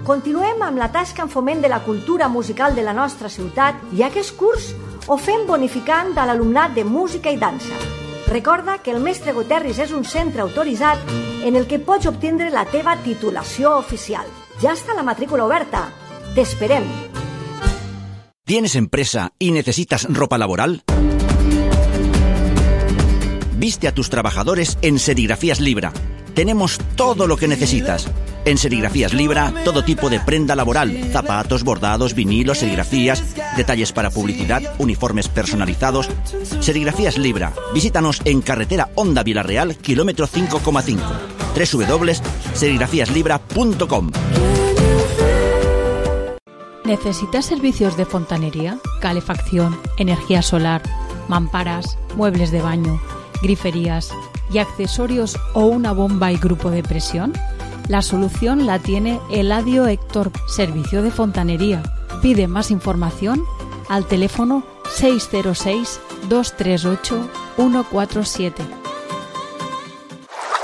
Continuem amb la tasca en foment de la cultura musical de la nostra ciutat i aquest curs ho fem bonificant a l'alumnat de música i dansa. Recorda que el Mestre Goterris és un centre autoritzat en el que pots obtindre la teva titulació oficial. Ja està la matrícula oberta. T'esperem. ¿Tienes empresa y necesitas ropa laboral? Viste a tus trabajadores en Serigrafías Libra. Tenemos todo lo que necesitas. En Serigrafías Libra, todo tipo de prenda laboral, zapatos, bordados, vinilos, serigrafías, detalles para publicidad, uniformes personalizados. Serigrafías Libra. Visítanos en carretera Honda Vila-real, kilómetro 5,5. www.serigrafiaslibra.com. ¿Necesitas servicios de fontanería, calefacción, energía solar, mamparas, muebles de baño, griferías y accesorios o una bomba y grupo de presión? La solución la tiene Eladio Héctor, servicio de fontanería. Pide más información al teléfono 606 238 147.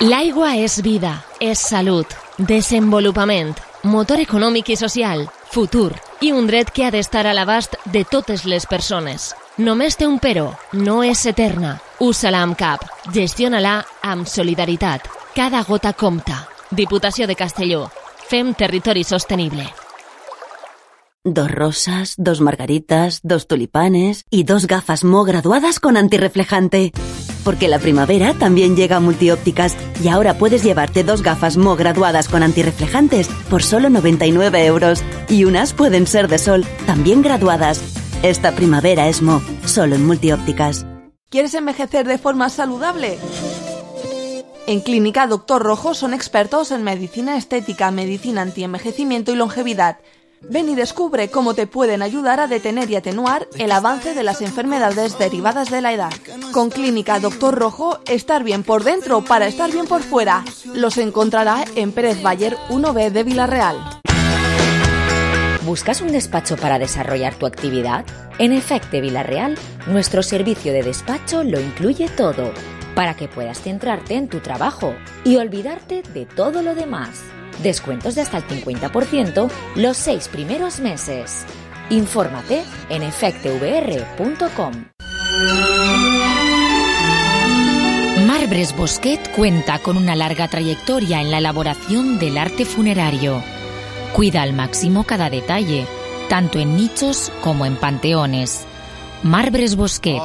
L'aigua és vida, és salut, desenvolupament, motor econòmic i social, futur i un dret que ha d'estar a l'abast de totes les persones. Només té un però, no és eterna. Usa-la amb cap, gestiona-la amb solidaritat. Cada gota compta. Diputació de Castelló. Fem territori sostenible. 2 rosas, 2 margaritas, 2 tulipanes y 2 gafas Mo graduadas con antirreflejante. Porque la primavera también llega a Multiópticas y ahora puedes llevarte 2 gafas Mo graduadas con antirreflejantes por solo 99 euros. Y unas pueden ser de sol, también graduadas. Esta primavera es Mo, solo en Multiópticas. ¿Quieres envejecer de forma saludable? En Clínica Doctor Rojo son expertos en medicina estética, medicina antienvejecimiento y longevidad. Ven y descubre cómo te pueden ayudar a detener y atenuar el avance de las enfermedades derivadas de la edad. Con Clínica Doctor Rojo, estar bien por dentro para estar bien por fuera. Los encontrará en Pérez Bayer 1B de Villarreal. ¿Buscas un despacho para desarrollar tu actividad? En Efecte Villarreal, nuestro servicio de despacho lo incluye todo, para que puedas centrarte en tu trabajo y olvidarte de todo lo demás. Descuentos de hasta el 50% los 6 primeros meses. Infórmate en efectevr.com. Marbres Bosquet cuenta con una larga trayectoria en la elaboración del arte funerario. Cuida al máximo cada detalle, tanto en nichos como en panteones. Marbres Bosquet,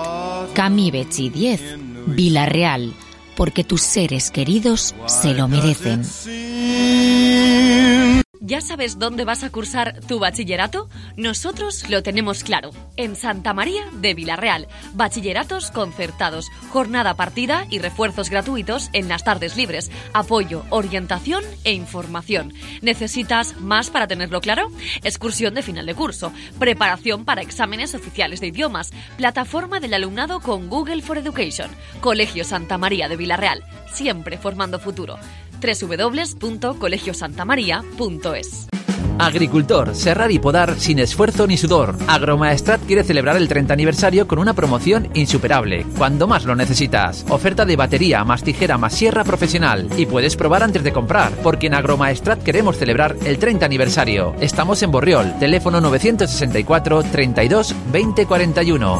Camí Betxí 10, Villarreal, porque tus seres queridos se lo merecen. ¿Ya sabes dónde vas a cursar tu bachillerato? Nosotros lo tenemos claro. En Santa María de Villarreal. Bachilleratos concertados, jornada partida y refuerzos gratuitos en las tardes libres. Apoyo, orientación e información. ¿Necesitas más para tenerlo claro? Excursión de final de curso, preparación para exámenes oficiales de idiomas, plataforma del alumnado con Google for Education. Colegio Santa María de Villarreal, siempre formando futuro. www.colegiosantamaria.es. Agricultor, serrar y podar sin esfuerzo ni sudor. Agromaestrat quiere celebrar el 30 aniversario con una promoción insuperable, cuando más lo necesitas. Oferta de batería, más tijera, más sierra profesional. Y puedes probar antes de comprar, porque en Agromaestrat queremos celebrar el 30 aniversario. Estamos en Borriol, teléfono 964 32 20 41.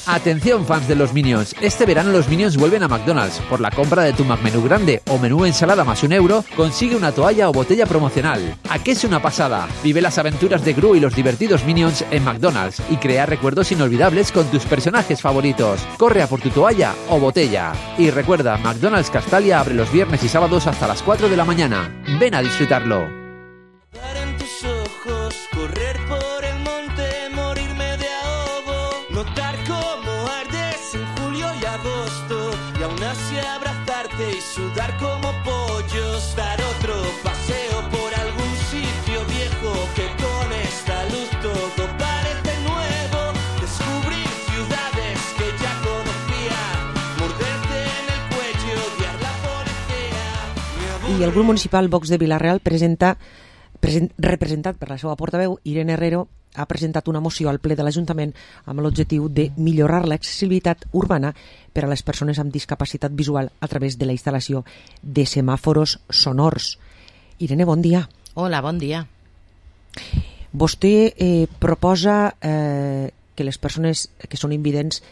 Atención fans de los Minions, este verano los Minions vuelven a McDonald's. Por la compra de tu McMenú grande o menú ensalada más €1, consigue una toalla o botella promocional. ¿A qué es una pasada? Vive las aventuras de Gru y los divertidos Minions en McDonald's y crea recuerdos inolvidables con tus personajes favoritos. Corre a por tu toalla o botella. Y recuerda, McDonald's Castalia abre los viernes y sábados hasta las 4 de la mañana. Ven a disfrutarlo. En tus ojos, correr por el monte, morirme de ahogo, notar cómo ardes en julio y agosto, y aún así abrazarte y sudar como pollos, dar otro paseo por algún sitio viejo que con esta luz todo parece nuevo, descubrir ciudades que ya conocía, morderte en el cuello, odiar la policía. I el grup municipal Vox de Villarreal representat per la seva portaveu, Irene Herrero, ha presentat una moció al ple de l'Ajuntament amb l'objectiu de millorar l'accessibilitat urbana per a les persones amb discapacitat visual a través de la instal·lació de semàforos sonors. Irene, bon dia. Hola, bon dia. Vostè proposa que les persones que són invidents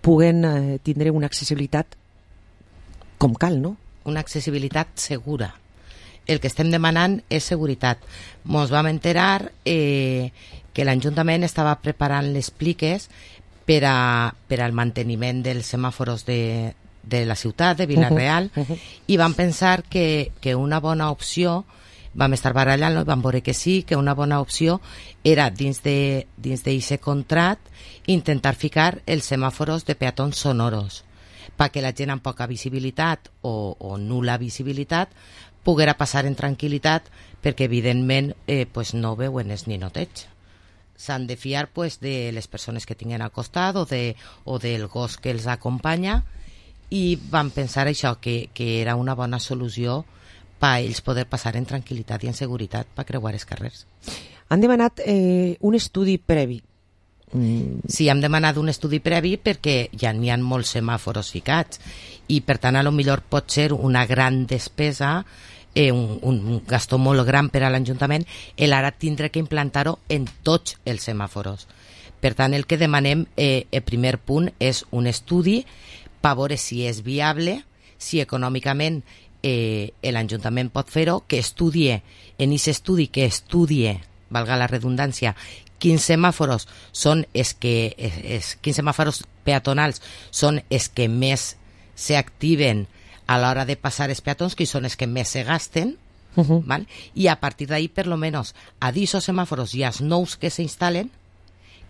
puguen tindre una accessibilitat com cal, no? Una accessibilitat segura. El que estem demanant és seguretat. Ens vam enterar que l'Ajuntament estava preparant les pliques per al manteniment dels semàforos de la ciutat, de Villarreal, i vam pensar que una bona opció, vam estar barallant-lo i vam veure que sí, que una bona opció era dins d'aquest contracte intentar ficar els semàforos de peatons sonoros perquè la gent amb poca visibilitat o nul·la visibilitat poguera passar en tranquil·litat, perquè evidentment no veuen els ninotets. S'han de fiar de les persones que tinguen al costat o del gos que els acompanya, i vam pensar això, que era una bona solució per a ells poder passar en tranquil·litat i en seguretat per creuar els carrers. Han demanat un estudi previ. Sí, hem demanat un estudi previ perquè ja n'hi ha molts semàforos ficats i per tant a lo millor pot ser una gran despesa, un gastó molt gran per a l'Ajuntament el ara tindre que implantar-ho en tots els semàforos. Per tant, el que demanem, el primer punt, és un estudi per veure si és viable, si econòmicament l'Ajuntament pot fer-ho, que estudie, en aquest estudi que estudie valga la redundància, quins semàfors són quins semàfors peatonals són els que més s'activen a l'hora de passar els peatons, que són els que més se gasten, ¿vale? Y a partir de ahí, per lo menos, a disos semàfors i als nous que s'instal·len,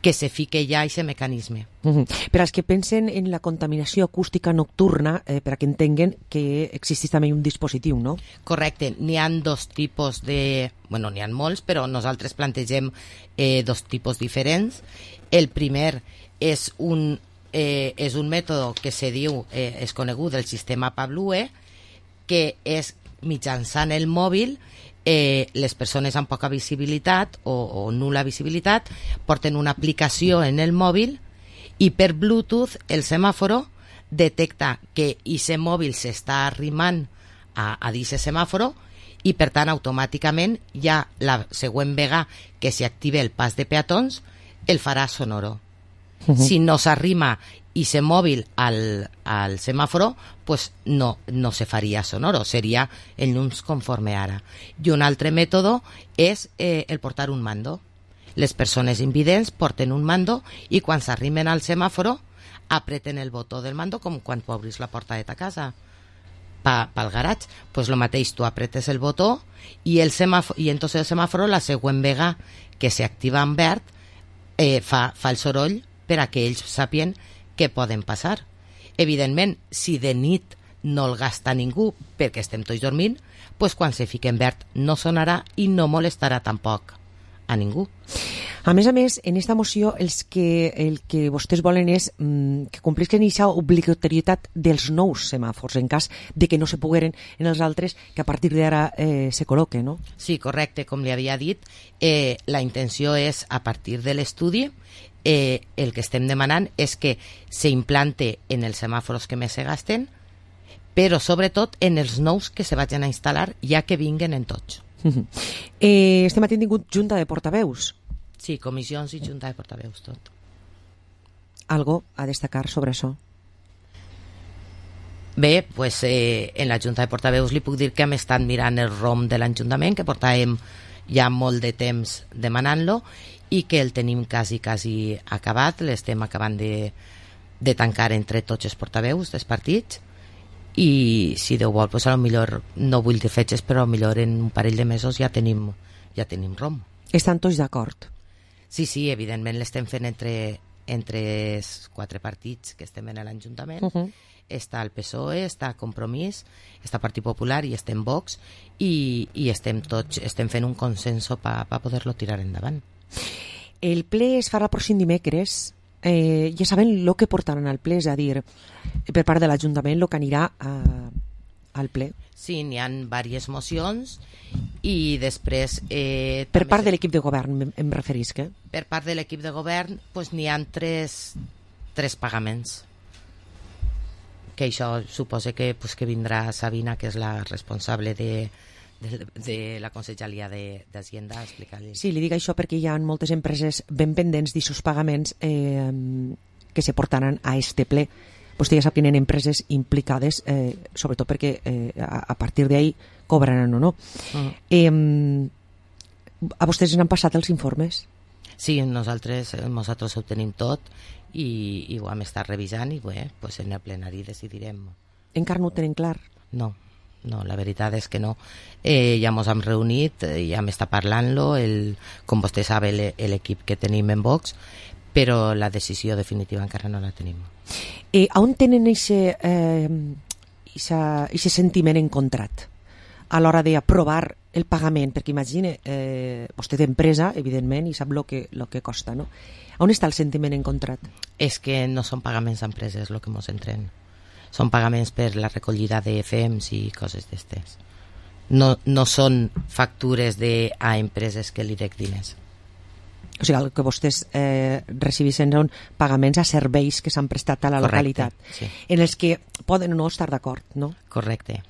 que se fique ja aquest mecanisme. Per als que pensen en la contaminació acústica nocturna, per a que entenguen que existeix també un dispositiu, no? Correcte. N'hi ha dos tipus de... Bueno, n'hi ha molts, però nosaltres plantegem dos tipus diferents. El primer és un mètode que se diu, és conegut, del sistema Pavlue, que és mitjançant el mòbil. Les persones amb poca visibilitat o nul·la visibilitat porten una aplicació en el mòbil i per Bluetooth el semàforo detecta que aquest mòbil s'està arrimant a aquest semàforo i per tant automàticament ja la següent vegada que s'active el pas de peatons el farà sonoro. Si no s'arrima i se mòbil al semàforo, pues no se faria sonoro, seria el llums conforme ara. I un altre mètode és el portar un mando. Les persones invidents porten un mando i quan s'arrimen al semàforo apreten el botó del mando, com quan tu obris la porta de ta casa pel garatge, pues lo mateix, tu apretes el botó i entonces el semàforo la següent vegada que s'activa en verd fa el soroll per a que ells sàpien que poden passar. Evidentment, si de nit no el gasta ningú perquè estem tots dormint, pues quan se fique en verd no sonarà i no molestarà tampoc a ningú. A més, en esta moció el que vostès volen és que complisquen aquesta obligatorietat dels nous semàfors en cas de que no se pogueren en els altres que a partir d'ara se col·loquen, no? Sí, correcte, com li havia dit, la intenció és, a partir de l'estudi, el que estem demanant és que s'implante en els semàfors que més se gasten, però sobretot en els nous que se vagin a instal·lar ja que vinguen en tots. Este matí hem tingut junta de portaveus. Sí, comissions i junta de portaveus, tot. Algo a destacar sobre això? Bé, pues, en la junta de portaveus li puc dir que hem estat mirant el ROM de l'Ajuntament, que portàvem ja molt de temps demanant-lo i que el tenim quasi acabat, l'estem acabant de tancar entre tots els portaveus dels partits i si Déu vol, pues, a lo millor no vull dir fetges, però a lo millor en un parell de mesos ja tenim ROM. Estan tots d'acord? Sí, evidentment l'estem fent entre els 4 partits que estem en l'Ajuntament. Està el PSOE, està Compromís, està Partit Popular i estem Vox i estem fent un consenso per poder-lo tirar endavant. El ple es farà el pròxim dimecres. Ja saben el que portaran al ple, és a dir, per part de l'Ajuntament, el que anirà al ple. Sí, n'hi ha diverses mocions i després... Per part de l'equip de govern, em referisc, Per part de l'equip de govern, pues, n'hi ha tres pagaments. Que això suposa que vindrà Sabina, que és la responsable de la Conselleria d'Hacienda, a explicar-li. Sí, li dic això perquè hi ha moltes empreses ben pendents d'aquests pagaments que se portaran a este ple. Vostè ja sap que hi ha empreses implicades, sobretot perquè a partir d'ahí cobraran o no. A vostès n'han passat els informes? Sí, nosaltres ho tenim tot i ho hem estat revisant i bé, pues en el plenari decidirem. Encara no ho tenen clar? No, la veritat és que no. Ja ens hem reunit, ja hem estat parlant-lo, com vostè sap, l'equip que tenim en Vox, però la decisió definitiva encara no la tenim. On tenen aquest sentiment encontrat a l'hora d'aprovar el pagament? Perquè imagine, vostè d'empresa, evidentment, i sap el que costa, no? On està el sentiment encontrat? És que no són pagaments d'empreses el que ens entren. Són pagaments per la recollida de FEMs i coses d'estes. No són factures a empreses que li dec diners. O sigui, el que vostès recibeixen són pagaments a serveis que s'han prestat a la localitat, sí. En els que poden o no estar d'acord, no? Correcte.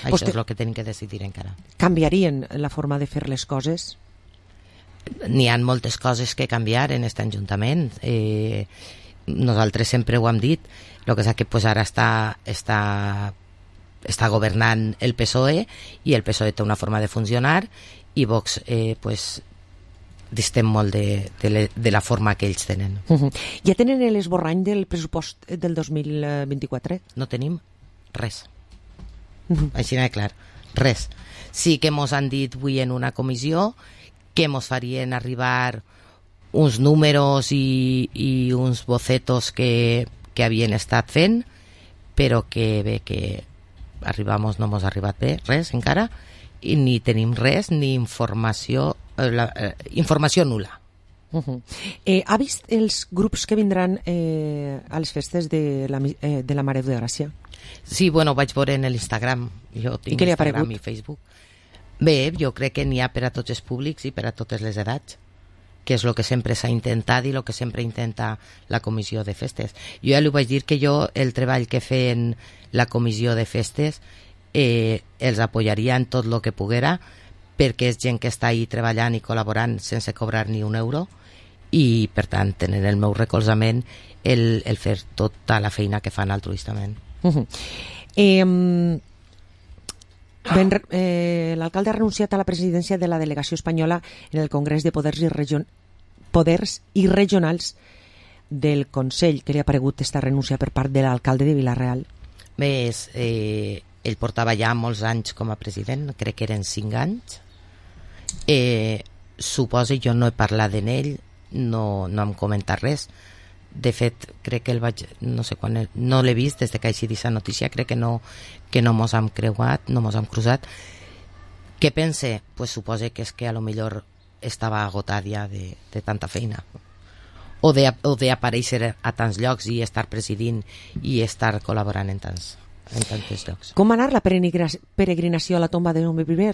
Això és el que tenim que decidir encara. Canviarien la forma de fer les coses? N'hi ha moltes coses que canviar en aquest Ajuntament. Nosaltres sempre ho hem dit, el que és que pues, ara està governant el PSOE i el PSOE té una forma de funcionar i Vox pues, distem molt de la forma que ells tenen. Ja tenen l'esborrany del pressupost del 2024? No tenim res. Així de clar, res. Sí que mos han dit avui en una comissió que mos farien arribar uns números i uns bocetos que havien estat fent, però que bé que arribamos, no mos ha arribat bé res encara, i ni tenim res, ni informació nul·la. Ha vist els grups que vindran a les festes de la Mare de Gràcia? Sí, bueno, vaig veure en l'Instagram. Jo tinc Instagram i Facebook. Bé, jo crec que n'hi ha per a tots els públics i per a totes les edats, que és el que sempre s'ha intentat i el que sempre intenta la comissió de festes. Jo ja li vaig dir que jo el treball que feien la comissió de festes els apoyaria en tot el que poguera, perquè és gent que està ahí treballant i col·laborant sense cobrar ni un euro, i per tant tenen el meu recolzament el fer tota la feina que fan altruistament. L'alcalde ha renunciat a la presidència de la delegació espanyola en el Congrés de Poders i Regionals del Consell. Què li ha paregut esta renúncia per part de l'alcalde de Vila-real? Bé, ell portava ja molts anys com a president, crec que eren 5 anys. Suposo, jo no he parlat d'ell, no hem comentat res. De fet, crec que el vaig, no sé quan, no l'he vist des de que hagi dit la notícia, crec que no mos hem creuat, no mos hem cruzat. Què pense? Pues suposo que és que a lo millor estava agotat ja de tanta feina, o d'aparèixer a tants llocs i estar presidint i estar col·laborant en tants llocs. Com va anar la peregrinació a la tomba de Jaume I?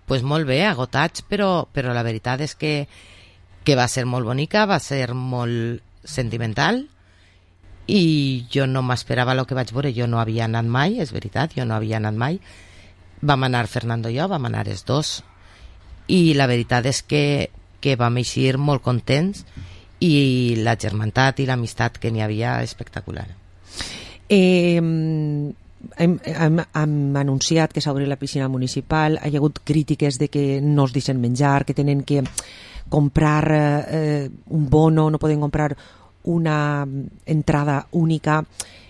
Pues molt bé, agotats, però la veritat és que va ser molt bonica, va ser molt sentimental, i jo no m'esperava el que vaig veure. Jo no havia anat mai, és veritat, jo no havia anat mai. Vam anar Fernando i jo, vam anar els dos, i la veritat és que vam eixir molt contents, i la germantat i l'amistat que n'hi havia espectacular. Hem anunciat que s'obri la piscina municipal, hi ha hagut crítiques de que no es deixen menjar, que tenen que comprar un bono, no poden comprar una entrada única,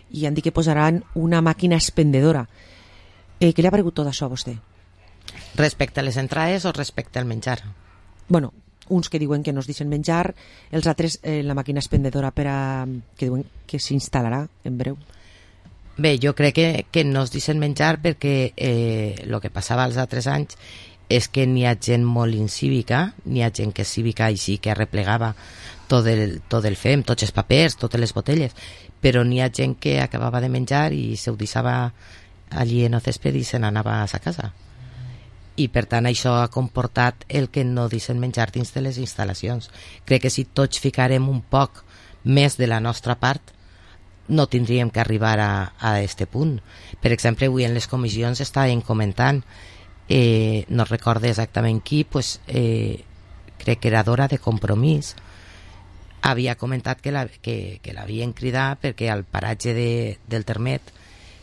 i han dit que posaran una màquina expendedora. Què li ha paregut tot això a vostè? Respecte a les entrades o respecte al menjar? Bueno, uns que diuen que no es deixen menjar, els altres la màquina expendedora que diuen que s'instal·larà en breu. Bé, jo crec que no es deixen menjar perquè el que passava els altres anys és que n'hi ha gent molt incívica, n'hi ha gent que és cívica així que arreplegava tot el fem, tots els papers, totes les botelles, però n'hi ha gent que acabava de menjar i se ho deixava allí en el césped i se n'anava a sa casa. I per tant això ha comportat el que no deixen menjar dins de les instal·lacions. Crec que si tots ficarem un poc més de la nostra part, no tindríem que arribar a este punt. Per exemple, avui en les comissions estàvem comentant, no recordo exactament qui, pues, crec que era Dora de Compromís, havia comentat que l'havien cridat perquè al paratge del Termet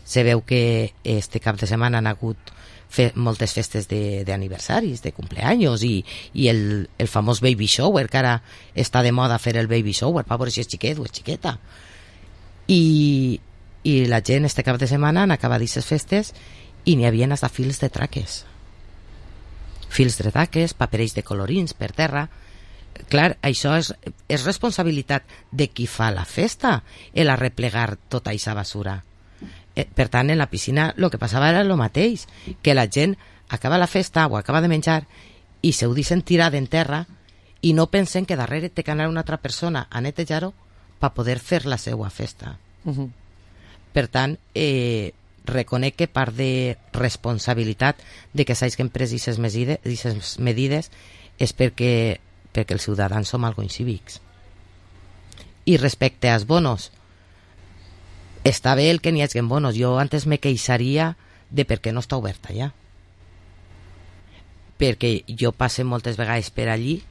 se veu que este cap de setmana han hagut moltes festes d'aniversaris, de cumpleaños, i el famós baby shower, que ara està de moda fer el baby shower, per veure si és xiquet o és xiqueta. I la gent este cap de setmana han acabat aquestes festes i n'hi havia hasta fils de traques, paperells de colorins per terra. Clar, això és responsabilitat de qui fa la festa, el arreplegar tota aquesta basura. Per tant, en la piscina el que passava era el mateix, que la gent acaba la festa o acaba de menjar i se ho deixen tirar en terra i no pensen que darrere té que anar una altra persona a netejar-ho per poder fer la seva festa. Per tant, reconec que part de responsabilitat de que s'hagin pres aquestes medides és perquè els ciutadans som algo incívics. I respecte als bonos, està bé el que n'hi hagi bonos. Jo antes me queixaria de per què no està oberta ja, perquè jo passe moltes vegades per allí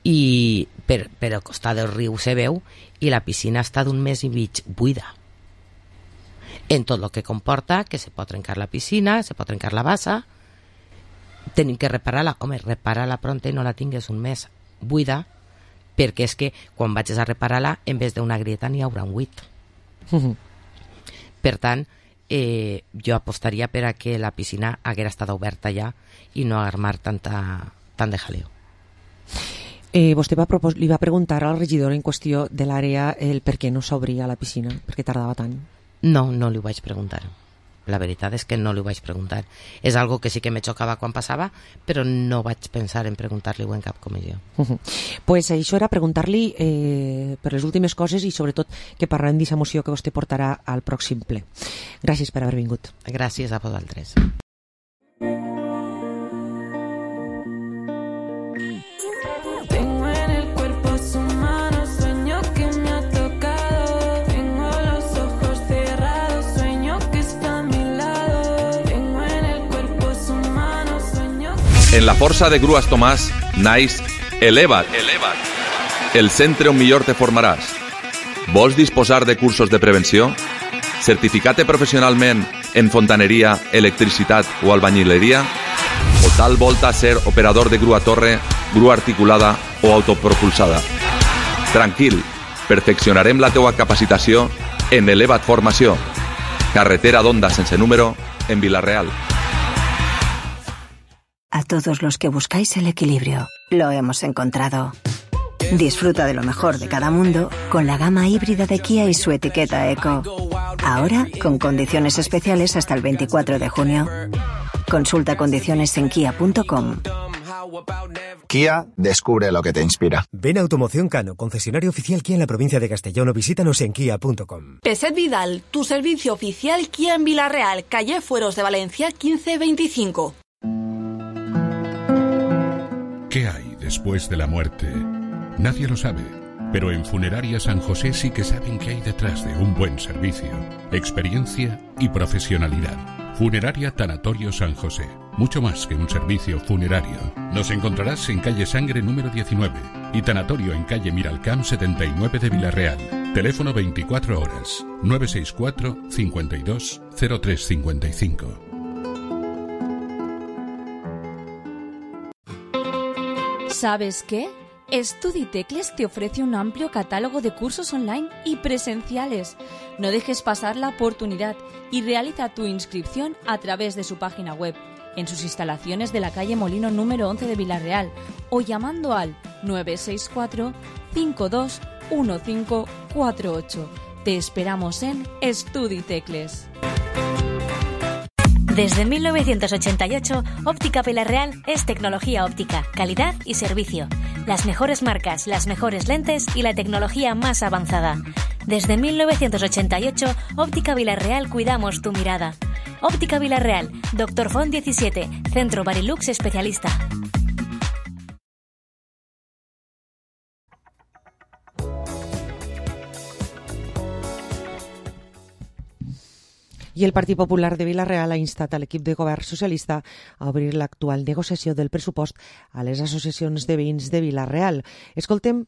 i per al costat del riu se veu i la piscina està d'un mes i mig buida, en tot el que comporta que se pot trencar la piscina, se pot trencar la bassa, tenim que reparar-la. Home, repara-la pronta i no la tingues un mes buida, perquè és que quan vagis a reparar-la, en vez d'una grieta n'hi haurà un buit. Per tant, jo apostaria per a que la piscina haguera estat oberta ja i no armar tant de jaleo. Vostè li va preguntar al regidor en qüestió de l'àrea el per què no s'obria la piscina, per què tardava tant? No li ho vaig preguntar. La veritat és que no li ho vaig preguntar. És algo que sí que me xocava quan passava, però no vaig pensar en preguntar-li-ho en cap comissió. Pues això era preguntar-li per les últimes coses i sobretot que parlem d'aquesta moció que vostè portarà al pròxim ple. Gràcies per haver vingut. Gràcies a vosaltres. En la força de Grues Tomàs naix Eleva't, el centre on millor te formaràs. Vols disposar de cursos de prevenció? Certificar-te professionalment en fontaneria, electricitat o albañileria? O tal volta ser operador de grua torre, grua articulada o autopropulsada? Tranquil, perfeccionarem la teua capacitació en Eleva't Formació. Carretera d'Onda sense número en Vila-real. A todos los que buscáis el equilibrio, lo hemos encontrado. Disfruta de lo mejor de cada mundo con la gama híbrida de Kia y su etiqueta Eco. Ahora, con condiciones especiales hasta el 24 de junio. Consulta condiciones en kia.com. Kia, descubre lo que te inspira. Ven a Automoción Cano, concesionario oficial Kia en la provincia de Castellón, o visítanos en kia.com. Peset Vidal, tu servicio oficial Kia en Vila-real, calle Fueros de Valencia 1525. ¿Qué hay después de la muerte? Nadie lo sabe, pero en Funeraria San José sí que saben qué hay detrás de un buen servicio, experiencia y profesionalidad. Funeraria Tanatorio San José, mucho más que un servicio funerario. Nos encontrarás en calle Sangre número 19 y Tanatorio en calle Miralcamp 79 de Vila-real. Teléfono 24 horas, 964 52 0355. ¿Sabes qué? StudiTecles te ofrece un amplio catálogo de cursos online y presenciales. No dejes pasar la oportunidad y realiza tu inscripción a través de su página web, en sus instalaciones de la calle Molino número 11 de Vila-real o llamando al 964 52 1548. Te esperamos en StudiTecles. Desde 1988, Óptica Vila-real es tecnología óptica, calidad y servicio. Las mejores marcas, las mejores lentes y la tecnología más avanzada. Desde 1988, Óptica Vila-real cuidamos tu mirada. Óptica Vila-real, Dr. Font 17, Centro Barilux Especialista. I el Partit Popular de Vila-real ha instat a l'equip de govern socialista a obrir l'actual negociació del pressupost a les associacions de veïns de Vila-real. Escoltem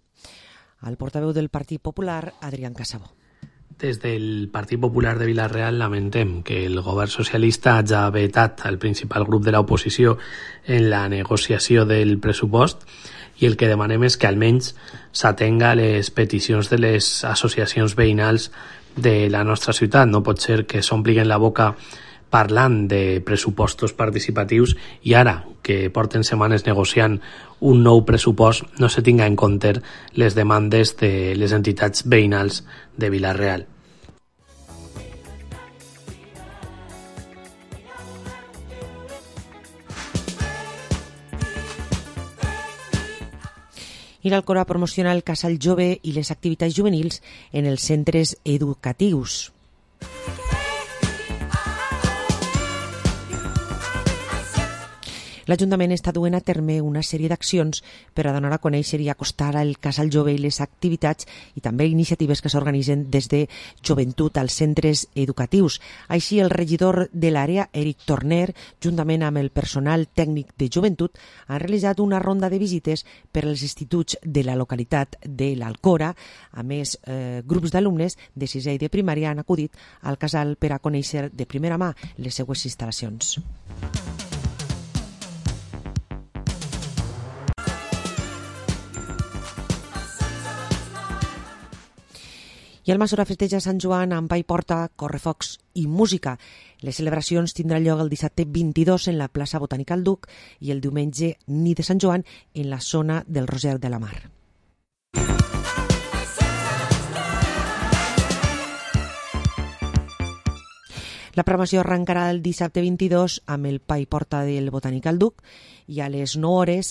al portaveu del Partit Popular, Adrián Casabó. Des del Partit Popular de Vila-real lamentem que el govern socialista hagi vetat al principal grup de l'oposició en la negociació del pressupost i el que demanem és que almenys s'atenga a les peticions de les associacions veïnals de la nostra ciutat. No pot ser que s'ompliguin la boca parlant de pressupostos participatius i ara, que porten setmanes negociant un nou pressupost, no se tinga en compte les demandes de les entitats veïnals de Vila-real. Ir al Cora promociona el casal jove i les activitats juvenils en els centres educatius. L'Ajuntament està duent a terme una sèrie d'accions per a donar a conèixer i acostar el casal jove i les activitats i també iniciatives que s'organitzen des de joventut als centres educatius. Així, el regidor de l'àrea, Eric Torner, juntament amb el personal tècnic de joventut, han realitzat una ronda de visites per als instituts de la localitat de l'Alcora. A més, grups d'alumnes de sisè i de primària han acudit al casal per a conèixer de primera mà les seues instal·lacions. I el Masora festeja Sant Joan amb pa i porta, correfocs i música. Les celebracions tindran lloc el dissabte 22 en la plaça Botànica al Duc i el diumenge nit de Sant Joan en la zona del Roser de la Mar. La programació arrencarà el dissabte 22 amb el pa i porta del Botànic al Duc i a les 9 hores,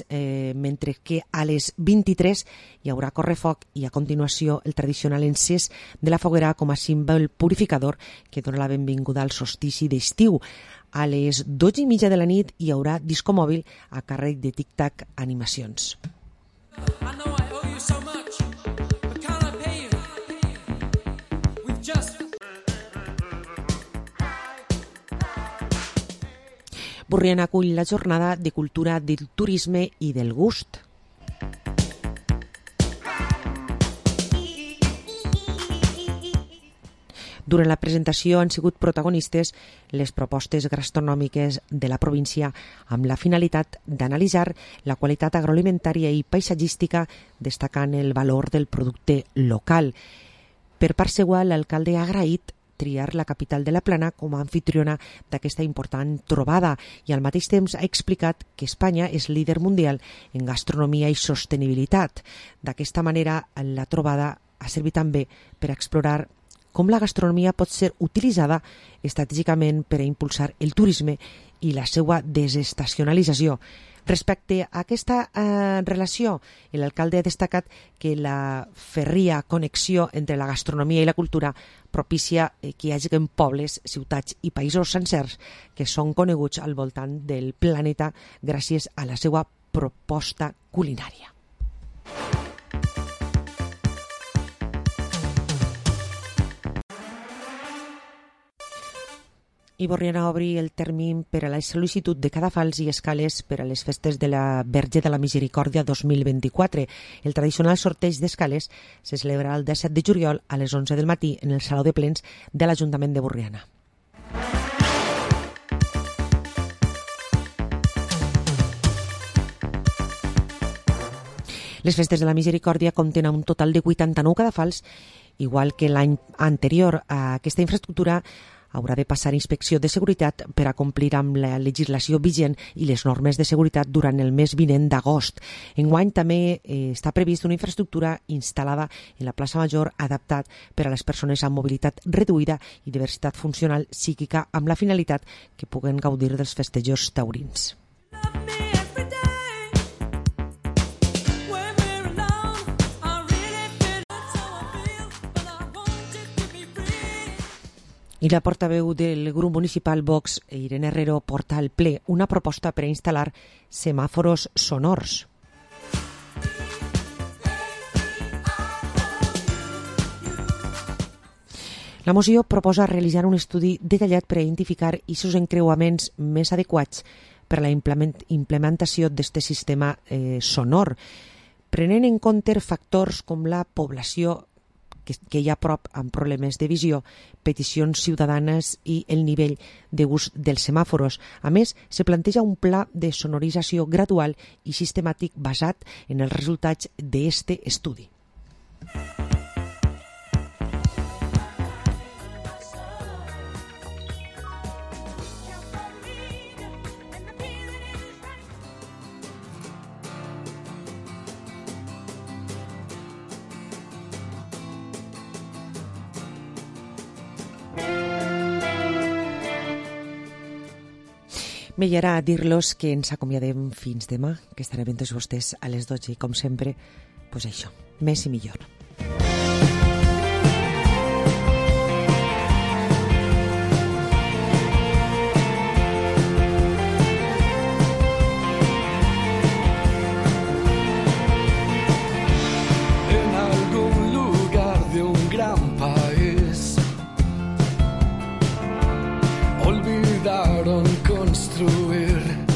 mentre que a les 23 hi haurà correfoc i a continuació el tradicional encès de la foguera com a símbol purificador que dona la benvinguda al solstici d'estiu. A les 12:30 de la nit hi haurà disco mòbil a càrrec de Tic Tac Animacions. Borriana acull la jornada de cultura del turisme i del gust. Durant la presentació han sigut protagonistes les propostes gastronòmiques de la província amb la finalitat d'analitzar la qualitat agroalimentària i paisatgística destacant el valor del producte local. Per part seva, l'alcalde ha agraït triar la capital de la Plana com a anfitriona d'aquesta important trobada i al mateix temps ha explicat que Espanya és líder mundial en gastronomia i sostenibilitat. D'aquesta manera, la trobada ha servit també per explorar com la gastronomia pot ser utilitzada estratègicament per a impulsar el turisme i la seva desestacionalització. Respecte a aquesta relació, l'alcalde ha destacat que la ferria connexió entre la gastronomia i la cultura propicia que hi hagi pobles, ciutats i països sencers que són coneguts al voltant del planeta gràcies a la seva proposta culinària. I Borriana obri el termini per a la sol·licitud de cadafals i escales per a les festes de la Verge de la Misericòrdia 2024. El tradicional sorteig d'escales se celebrarà el 17 de juliol a les 11 del matí en el Saló de Plens de l'Ajuntament de Borriana. Les festes de la Misericòrdia compten un total de 89 cadafals, igual que l'any anterior. Aquesta infraestructura haurà de passar inspecció de seguretat per a complir amb la legislació vigent i les normes de seguretat durant el mes vinent d'agost. Enguany també està previst una infraestructura instal·lada en la plaça Major adaptat per a les persones amb mobilitat reduïda i diversitat funcional psíquica amb la finalitat que puguen gaudir dels festejos taurins. I la portaveu del grup municipal Vox, Irene Herrero, porta al ple una proposta per a instal·lar semàforos sonors. La moció proposa realitzar un estudi detallat per a identificar aquests encreuaments més adequats per a la implementació d'aquest sistema sonor, prenent en compte factors com la població que hi ha a prop amb problemes de visió, peticions ciutadanes i el nivell d'ús dels semàforos. A més, se planteja un pla de sonorització gradual i sistemàtic basat en els resultats d'aquest estudi. Bé, i ara dir-los que ens acomiadem fins demà, que estarem amb tots vostès a les 12 i com sempre, doncs això, més i millor. En algún lugar de un gran país olvidaron construir